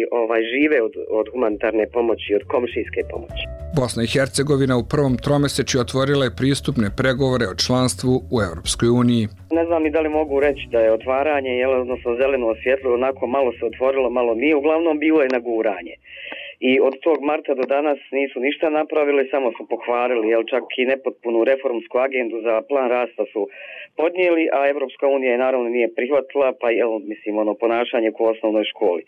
žive od humanitarne pomoći, od komšijske pomoći. Bosna i Hercegovina u prvom tromesečju otvorila je pristupne pregovore o članstvu u Europskoj uniji. Ne znam ni da li mogu reći da je otvaranje, odnosno zeleno osvjetlo, onako malo se otvorilo, malo nije, uglavnom bilo je naguranje. I od tog marta do danas nisu ništa napravili, samo su pohvalili, čak i nepotpunu reformsku agendu za plan rasta su podnijeli, a Evropska unija je naravno nije prihvatila, pa ponašanje u osnovnoj školi.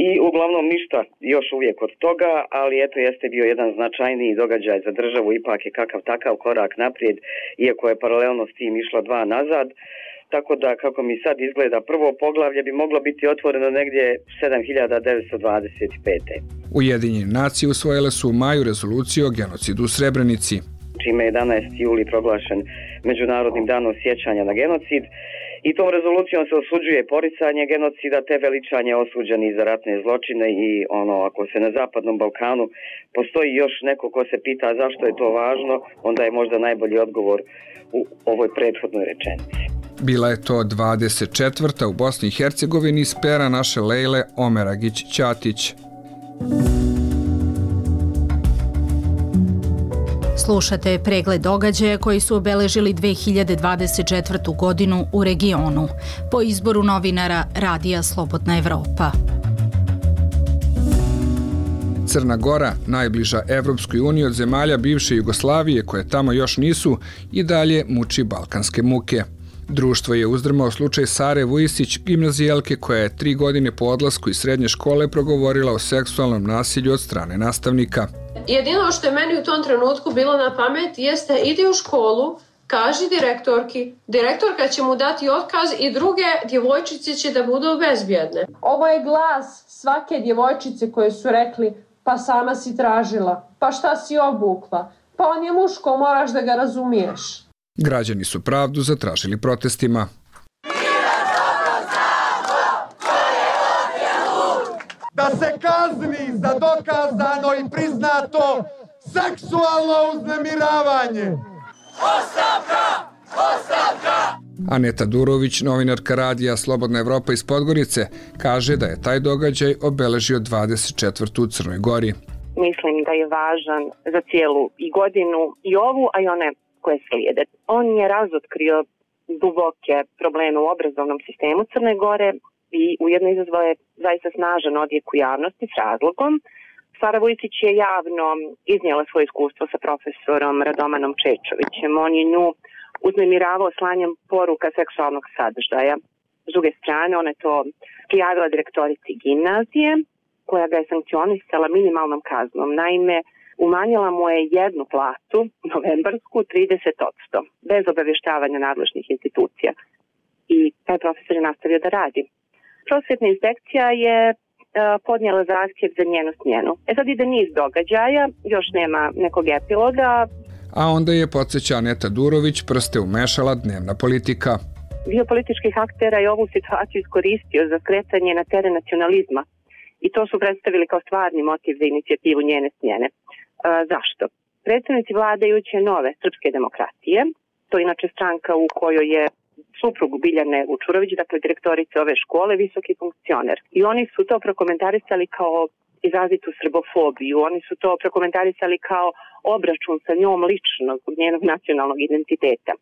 I uglavnom ništa još uvijek od toga, ali jeste bio jedan značajniji događaj za državu, ipak je kakav takav korak naprijed, iako je paralelno s tim išla 2 nazad. Tako da, kako mi sad izgleda, prvo poglavlje bi moglo biti otvoreno negdje 7925. Ujedinjene nacije usvojile su u maju rezoluciju o genocidu u Srebrenici, čime je 11. juli proglašen Međunarodnim danom sjećanja na genocid. I tom rezolucijom se osuđuje poricanje genocida te veličanje osuđenih za ratne zločine i ako se na Zapadnom Balkanu postoji još neko ko se pita zašto je to važno, onda je možda najbolji odgovor u ovoj prethodnoj rečenici. Bila je to 24. u Bosni i Hercegovini iz pera naše Lejle Omeragić-Ćatić. Slušate pregled događaja koji su obeležili 2024. godinu u regionu po izboru novinara Radija Slobodna Evropa. Crna Gora, najbliža Evropskoj uniji od zemalja bivše Jugoslavije koje tamo još nisu, i dalje muči balkanske muke. Društvo je uzdrmao slučaj Sare Vujisić, gimnazijelke koja je 3 godine po odlasku iz srednje škole progovorila o seksualnom nasilju od strane nastavnika. Jedino što je meni u tom trenutku bilo na pamet jeste idi u školu, kaži direktorki, direktorka će mu dati otkaz i druge djevojčice će da budu bezbjedne. Ovo je glas svake djevojčice koje su rekli pa sama si tražila, pa šta si obukla, pa on je muško, moraš da ga razumiješ. Građani su pravdu zatražili protestima. Da se kazni za dokazano i priznato seksualno uznemiravanje. Ostavka! Ostavka! Aneta Durović, novinarka Radija Slobodna Evropa iz Podgorice, kaže da je taj događaj obeležio 24. u Crnoj Gori. Mislim da je važan za cijelu i godinu i ovu, a i one koje slijede. On je razotkrio duboke probleme u obrazovnom sistemu Crne Gore i ujedno izazvao je zaista snažan odjek u javnosti s razlogom. Sara Vujisić je javno iznijela svoje iskustvo sa profesorom Radomanom Čečovićem. On je nju uznemiravao slanjem poruka seksualnog sadržaja. S druge strane, ona je to prijavila direktorici gimnazije, koja ga je sankcionisala minimalnom kaznom. Naime, umanjila mu je jednu platu, novembarsku, 30%, bez obavještavanja nadležnih institucija. I taj profesor je nastavio da radi. Prosvjetna inspekcija je podnijela zahtjev za njenu smjenu. Sad ide niz događaja, još nema nekog epiloga. A onda je, podsjeća Aneta Durović, prste umešala dnevna politika. Dio političkih aktera je ovu situaciju iskoristio za skretanje na teren nacionalizma i to su predstavili kao stvarni motiv za inicijativu njene smjene. Zašto? Predstavnici vladajuće nove srpske demokratije, to je inače stranka u kojoj je suprug Biljane Vučurović, dakle direktorice ove škole, visoki funkcioner. I oni su to prokomentarisali kao izrazitu srbofobiju, oni su to prokomentarisali kao obračun sa njom lično zbog njenog nacionalnog identiteta.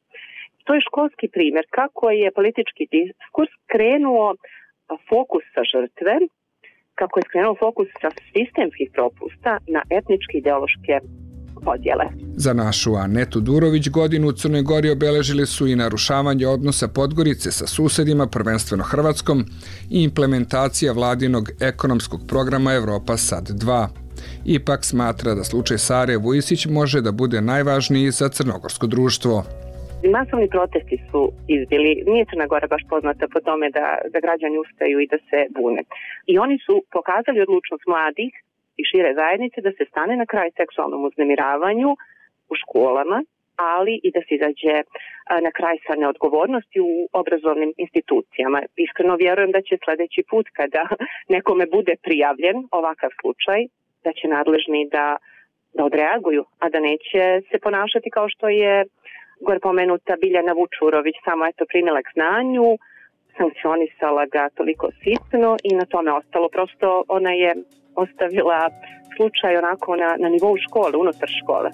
To je školski primjer kako je politički diskurs krenuo fokus sa žrtve, kako je skrenuo fokus sa sistemskih propusta na etničke ideološke podjele. Za našu Anetu Durović godinu u Crnoj Gori obeležili su i narušavanje odnosa Podgorice sa susedima, prvenstveno Hrvatskom, i implementacija vladinog ekonomskog programa Evropa Sad 2. Ipak smatra da slučaj Sare Vujisić može da bude najvažniji za crnogorsko društvo. Masovni protesti su izbili. Nije Crna Gora baš poznata po tome da građani ustaju i da se bune. I oni su pokazali odlučnost mladih i šire zajednice da se stane na kraj seksualnom uznemiravanju u školama, ali i da se izađe na kraj sa neodgovornosti u obrazovnim institucijama. Iskreno vjerujem da će sljedeći put kada nekome bude prijavljen ovakav slučaj, da će nadležni da odreaguju, a da neće se ponašati kao što je gore pomenuta Biljana Vučurović, samo eto primila k znanju, sankcionisala ga toliko sitno i na tome ostalo. Prosto ona je ostavila slučaj onako na nivou škole, unutar škole.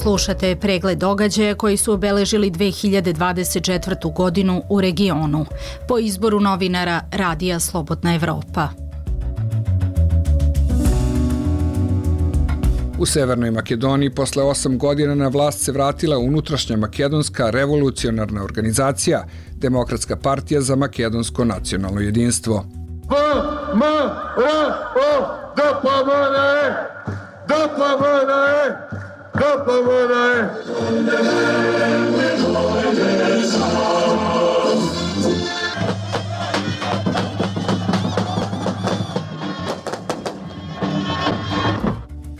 Slušate pregled događaja koji su obeležili 2024. godinu u regionu po izboru novinara Radija Slobodna Evropa. U Severnoj Makedoniji posle 8 godina na vlast se vratila unutrašnja makedonska revolucionarna organizacija, Demokratska partija za makedonsko nacionalno jedinstvo.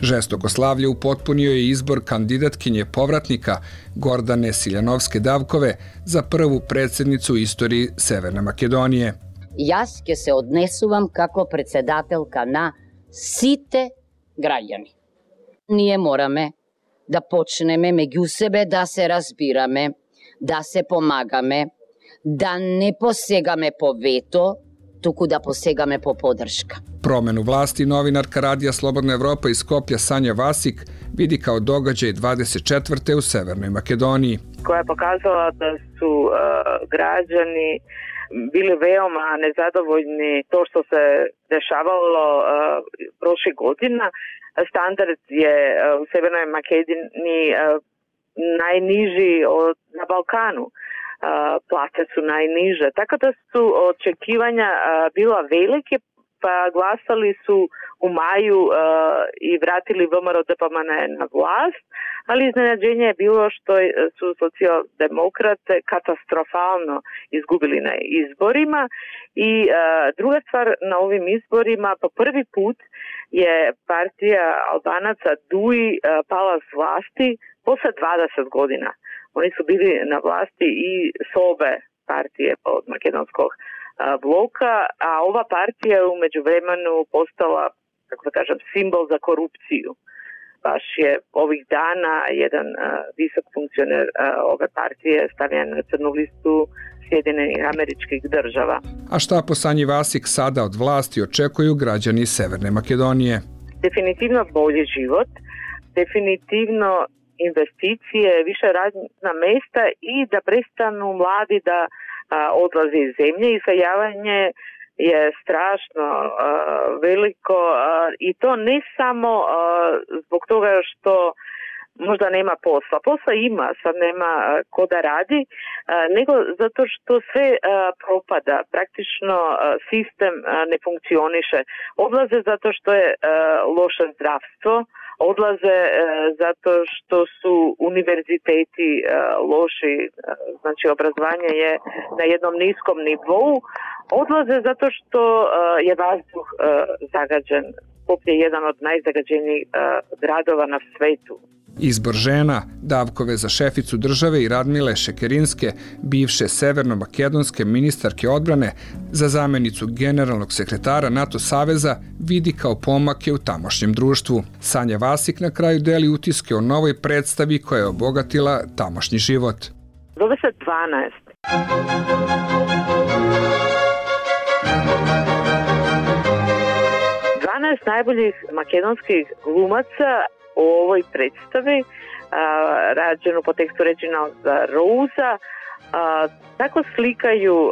Žestoko slavlje upotpunio je izbor kandidatkinje povratnika Gordane Siljanovske-Davkove za prvu predsjednicu u istoriji Severne Makedonije. Jaz ќе se odnesuvam како председателка на сите граѓани. Ние мораме да почнеме меѓу себе да се разбираме, да се помагаме, да не посегаме по вето tuku da posegame po podrška. Promenu vlasti novinarka Radija Slobodna Evropa iz Skoplja Sanja Vasik vidi kao događaj 24. u Severnoj Makedoniji. Koja je pokazala da su građani bili veoma nezadovoljni to što se dešavalo prošle godina. Standard je u Severnoj Makedoniji najniži na Balkanu. Plate su najniže. Tako da su očekivanja bila velike, pa glasali su u maju i vratili VMRO DPMNE na vlast, ali iznenađenje je bilo što su socijaldemokrate katastrofalno izgubili na izborima i druga stvar, na ovim izborima po prvi put je partija Albanaca DUI pala s vlasti posle 20 godina. Oni su bili na vlasti i s obe partije od makedonskog bloka, a ova partija je u međuvremenu postala, kako da kažem, simbol za korupciju. Baš je ovih dana jedan visok funkcioner ove partije stavljen na crnu listu Sjedinjenih Američkih Država. A šta po Sanji Vasik sada od vlasti očekuju građani Severne Makedonije? Definitivno bolji život, definitivno investicije, više radna mesta i da prestanu mladi da odlaze iz zemlje. Iseljavanje je strašno veliko i to ne samo zbog toga što možda nema posla. Posla ima, sad nema ko da radi, nego zato što sve propada. Praktično sistem ne funkcioniše. Odlaze zato što je loše zdravstvo, odlaze zato što su univerziteti loši, znači obrazovanje je na jednom niskom nivou, odlaze zato što je vazduh zagađen. Skoplje je jedan od najzagađenijih gradova na svetu. Izbor žena, Davkove za šeficu države i Radmile Šekerinske, bivše severno-makedonske ministarke odbrane, za zamenicu generalnog sekretara NATO saveza, vidi kao pomake u tamošnjem društvu. Sanja Vasik na kraju deli utiske o novoj predstavi koja je obogatila tamošnji život. Zove se 12. 12 najboljih makedonskih glumaca u ovoj predstavi, rađenu po tekstu Reginalda Rousa, tako slikaju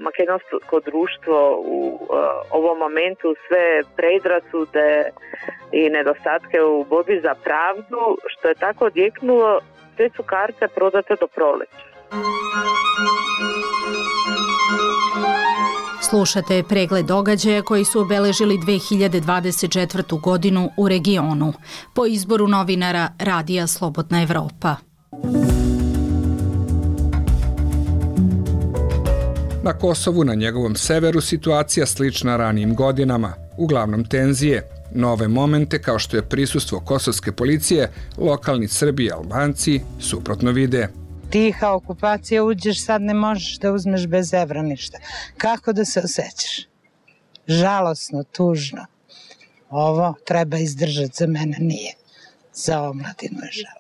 makedonsko društvo u ovom momentu, sve predrasude i nedostatke u borbi za pravdu, što je tako odjeknulo, sve su karte prodate do proleća. Slušate pregled događaja koji su obeležili 2024. godinu u regionu, po izboru novinara Radija Slobodna Evropa. Na Kosovu, na njegovom severu, situacija slična ranijim godinama. Uglavnom tenzije, nove momente kao što je prisustvo kosovske policije, lokalni Srbi i Albanci suprotno vide. Tiha okupacija, uđeš, sad ne možeš da uzmeš bez evra ništa. Kako da se osjećaš? Žalosno, tužno. Ovo treba izdržati, za mene nije. Za omladinu je žal.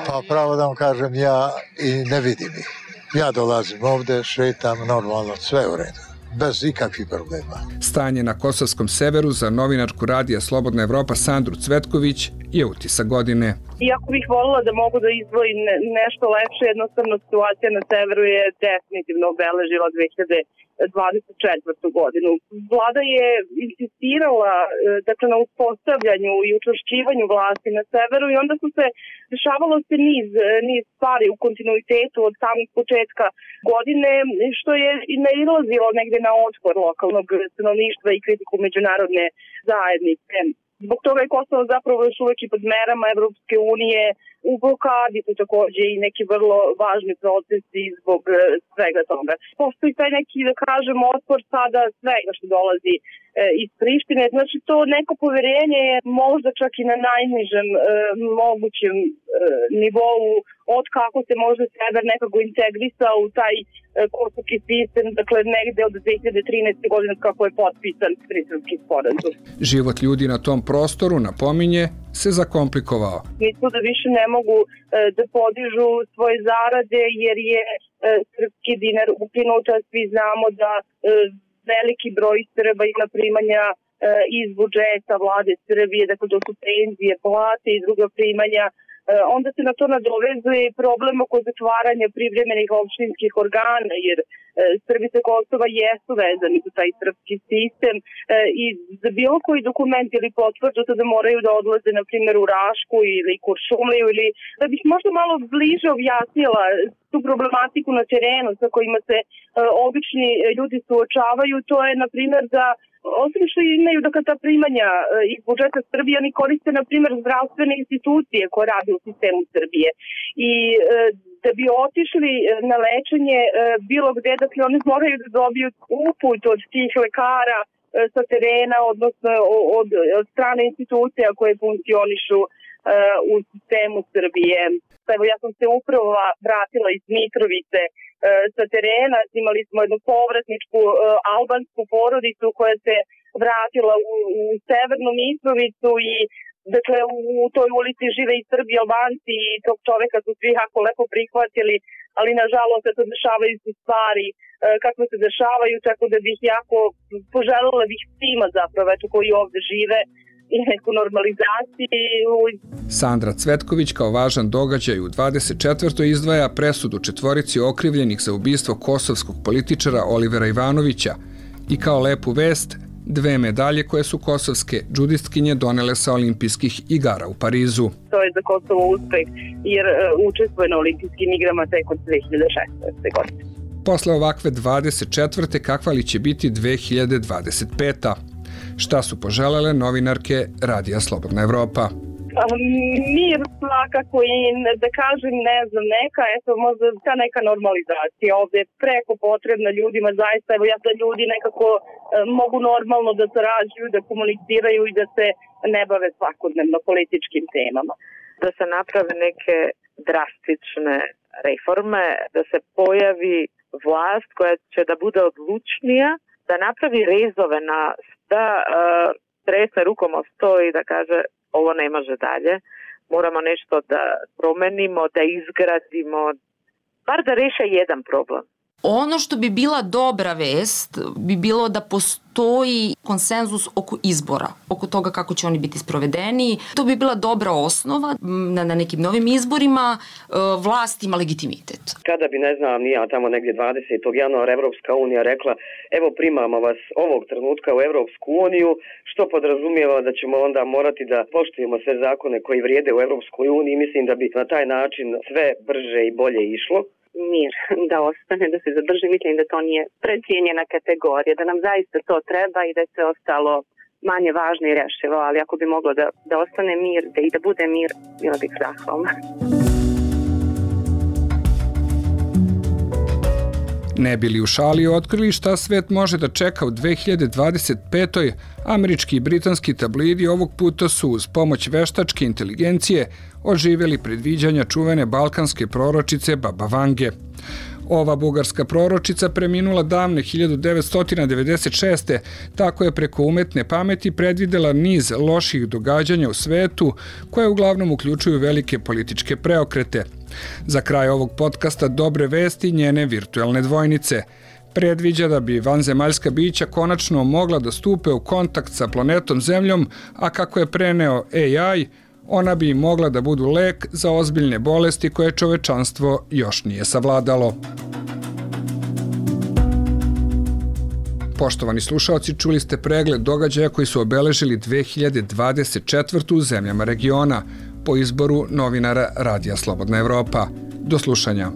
Pa pravo da vam kažem, ja i ne vidim ih. Ja dolazim ovde, šetam normalno, sve u redu. Bez ikakvih problema. Stanje na kosovskom severu za novinarku Radija Slobodna Evropa Sandru Cvetković je utisak godine. Iako bih volila da mogu da izdvojim nešto lepše, jednostavno situacija na severu je definitivno obeležila 2024. godinu. Vlada je insistirala na uspostavljanju i učvršćivanju vlasti na severu i onda su se dešavalo se niz stvari u kontinuitetu od samog početka godine, što je nailazilo negde na otpor lokalnog stanovništva i kritiku međunarodne zajednice. Zbog toga je Kosovo zapravo još uvek i pod merama Evropske unije, u blokadi su takođe i neki vrlo važni procesi zbog svega toga. Postoji taj neki, da kažem, otpor sada svega što dolazi iz Prištine. Znači to neko poverenje je možda čak i na najnižem mogućem nivou od kako se možda sever nekako integrisao u taj kosovski sistem, dakle negde od 2013. godine kako je potpisan Briselski sporazum. Život ljudi na tom prostoru, napominje, se zakomplikovao. Misle da više ne mogu da podižu svoje zarade jer je srpski dinar ukinut, a svi znamo da veliki broj Srba ima primanja iz budžeta vlade Srbije, dakle to su penzije, plate i druga primanja. Onda se na to nadovezuje problem oko zatvaranja privremenih opštinskih organa, jer Srbi sa Kosova jesu vezani za taj srpski sistem i za bilo koji dokument ili potvrdu da moraju da odlaze, na primjer, u Rašku ili Kuršumliju, ili da bih možda malo bliže objasnila tu problematiku na terenu sa kojima se obični ljudi suočavaju. To je, na primjer, da osim što imaju ta primanja iz budžeta Srbije, oni koriste, na primjer, zdravstvene institucije koje rade u sistemu Srbije. I da bi otišli na lečenje bilo gde, dakle, oni moraju da dobiju uput od tih lekara sa terena, odnosno od strane institucija koje funkcionišu u sistemu Srbije. Evo, ja sam se upravo vratila iz Mitrovice sa terena, imali smo jednu povratničku albansku porodicu koja se vratila u severnu Mitrovicu i dakle u toj ulici žive i Srbi i Albanci i tog čoveka su svi jako lepo prihvatili, ali nažalost se dešavaju su stvari kako se dešavaju, tako da bih jako poželjela bih svima zapravo koji ovde žive i neku normalizaciju. Sandra Cvetković kao važan događaj u 24. izdvaja presudu 4 okrivljenih za ubistvo kosovskog političara Olivera Ivanovića i kao lepu vest 2 medalje koje su kosovske džudistkinje donele sa olimpijskih igara u Parizu. To je za Kosovo uspeh jer učestvuje na olimpijskim igrama tek od 2016. godine. Posle ovakve 24. kakva li će biti 2025. Šta su poželele novinarke Radija Slobodna Evropa? Mir svakako i da kažem, ne znam, možda ta neka normalizacija ovde je preko potrebna ljudima, zaista, evo ja da ljudi nekako mogu normalno da sarađuju, da komuniciraju i da se ne bave svakodnevno političkim temama. Da se naprave neke drastične reforme, da se pojavi vlast koja će da bude odlučnija, da napravi rezove da tresne rukom o sto i da kaže ovo ne može dalje, moramo nešto da promenimo, da izgradimo, bar da reše jedan problem. Ono što bi bila dobra vest bi bilo da postoji konsenzus oko izbora, oko toga kako će oni biti sprovedeni. To bi bila dobra osnova na nekim novim izborima, vlast ima legitimitet. Kada bi, ne znam, ja tamo negdje 20. januara Evropska unija rekla evo primamo vas ovog trenutka u Evropsku uniju, što podrazumijeva da ćemo onda morati da poštujemo sve zakone koji vrijede u Evropskoj uniji, mislim da bi na taj način sve brže i bolje išlo. Mir da ostane, da se zadrži, mislim da to nije precijenjena kategorija, da nam zaista to treba i da je sve ostalo manje važno i rešivo, ali ako bi moglo da ostane mir, da bude mir, bila bih zahvalna. Ne bili u šali otkrili šta svet može da čeka u 2025. Američki i britanski tabloidi ovog puta su uz pomoć veštačke inteligencije oživjeli predviđanja čuvene balkanske proročice Baba Vange. Ova bugarska proročica preminula davne 1996. Tako je preko umetne pameti predvidela niz loših događanja u svetu koje uglavnom uključuju velike političke preokrete. Za kraj ovog podcasta dobre vesti njene virtuelne dvojnice. Predviđa da bi vanzemaljska bića konačno mogla da stupe u kontakt sa planetom Zemljom, a kako je preneo AI, ona bi mogla da budu lek za ozbiljne bolesti koje čovečanstvo još nije savladalo. Poštovani slušaoci, čuli ste pregled događaja koji su obeležili 2024. u zemljama regiona po izboru novinara Radija Slobodna Evropa. Do slušanja.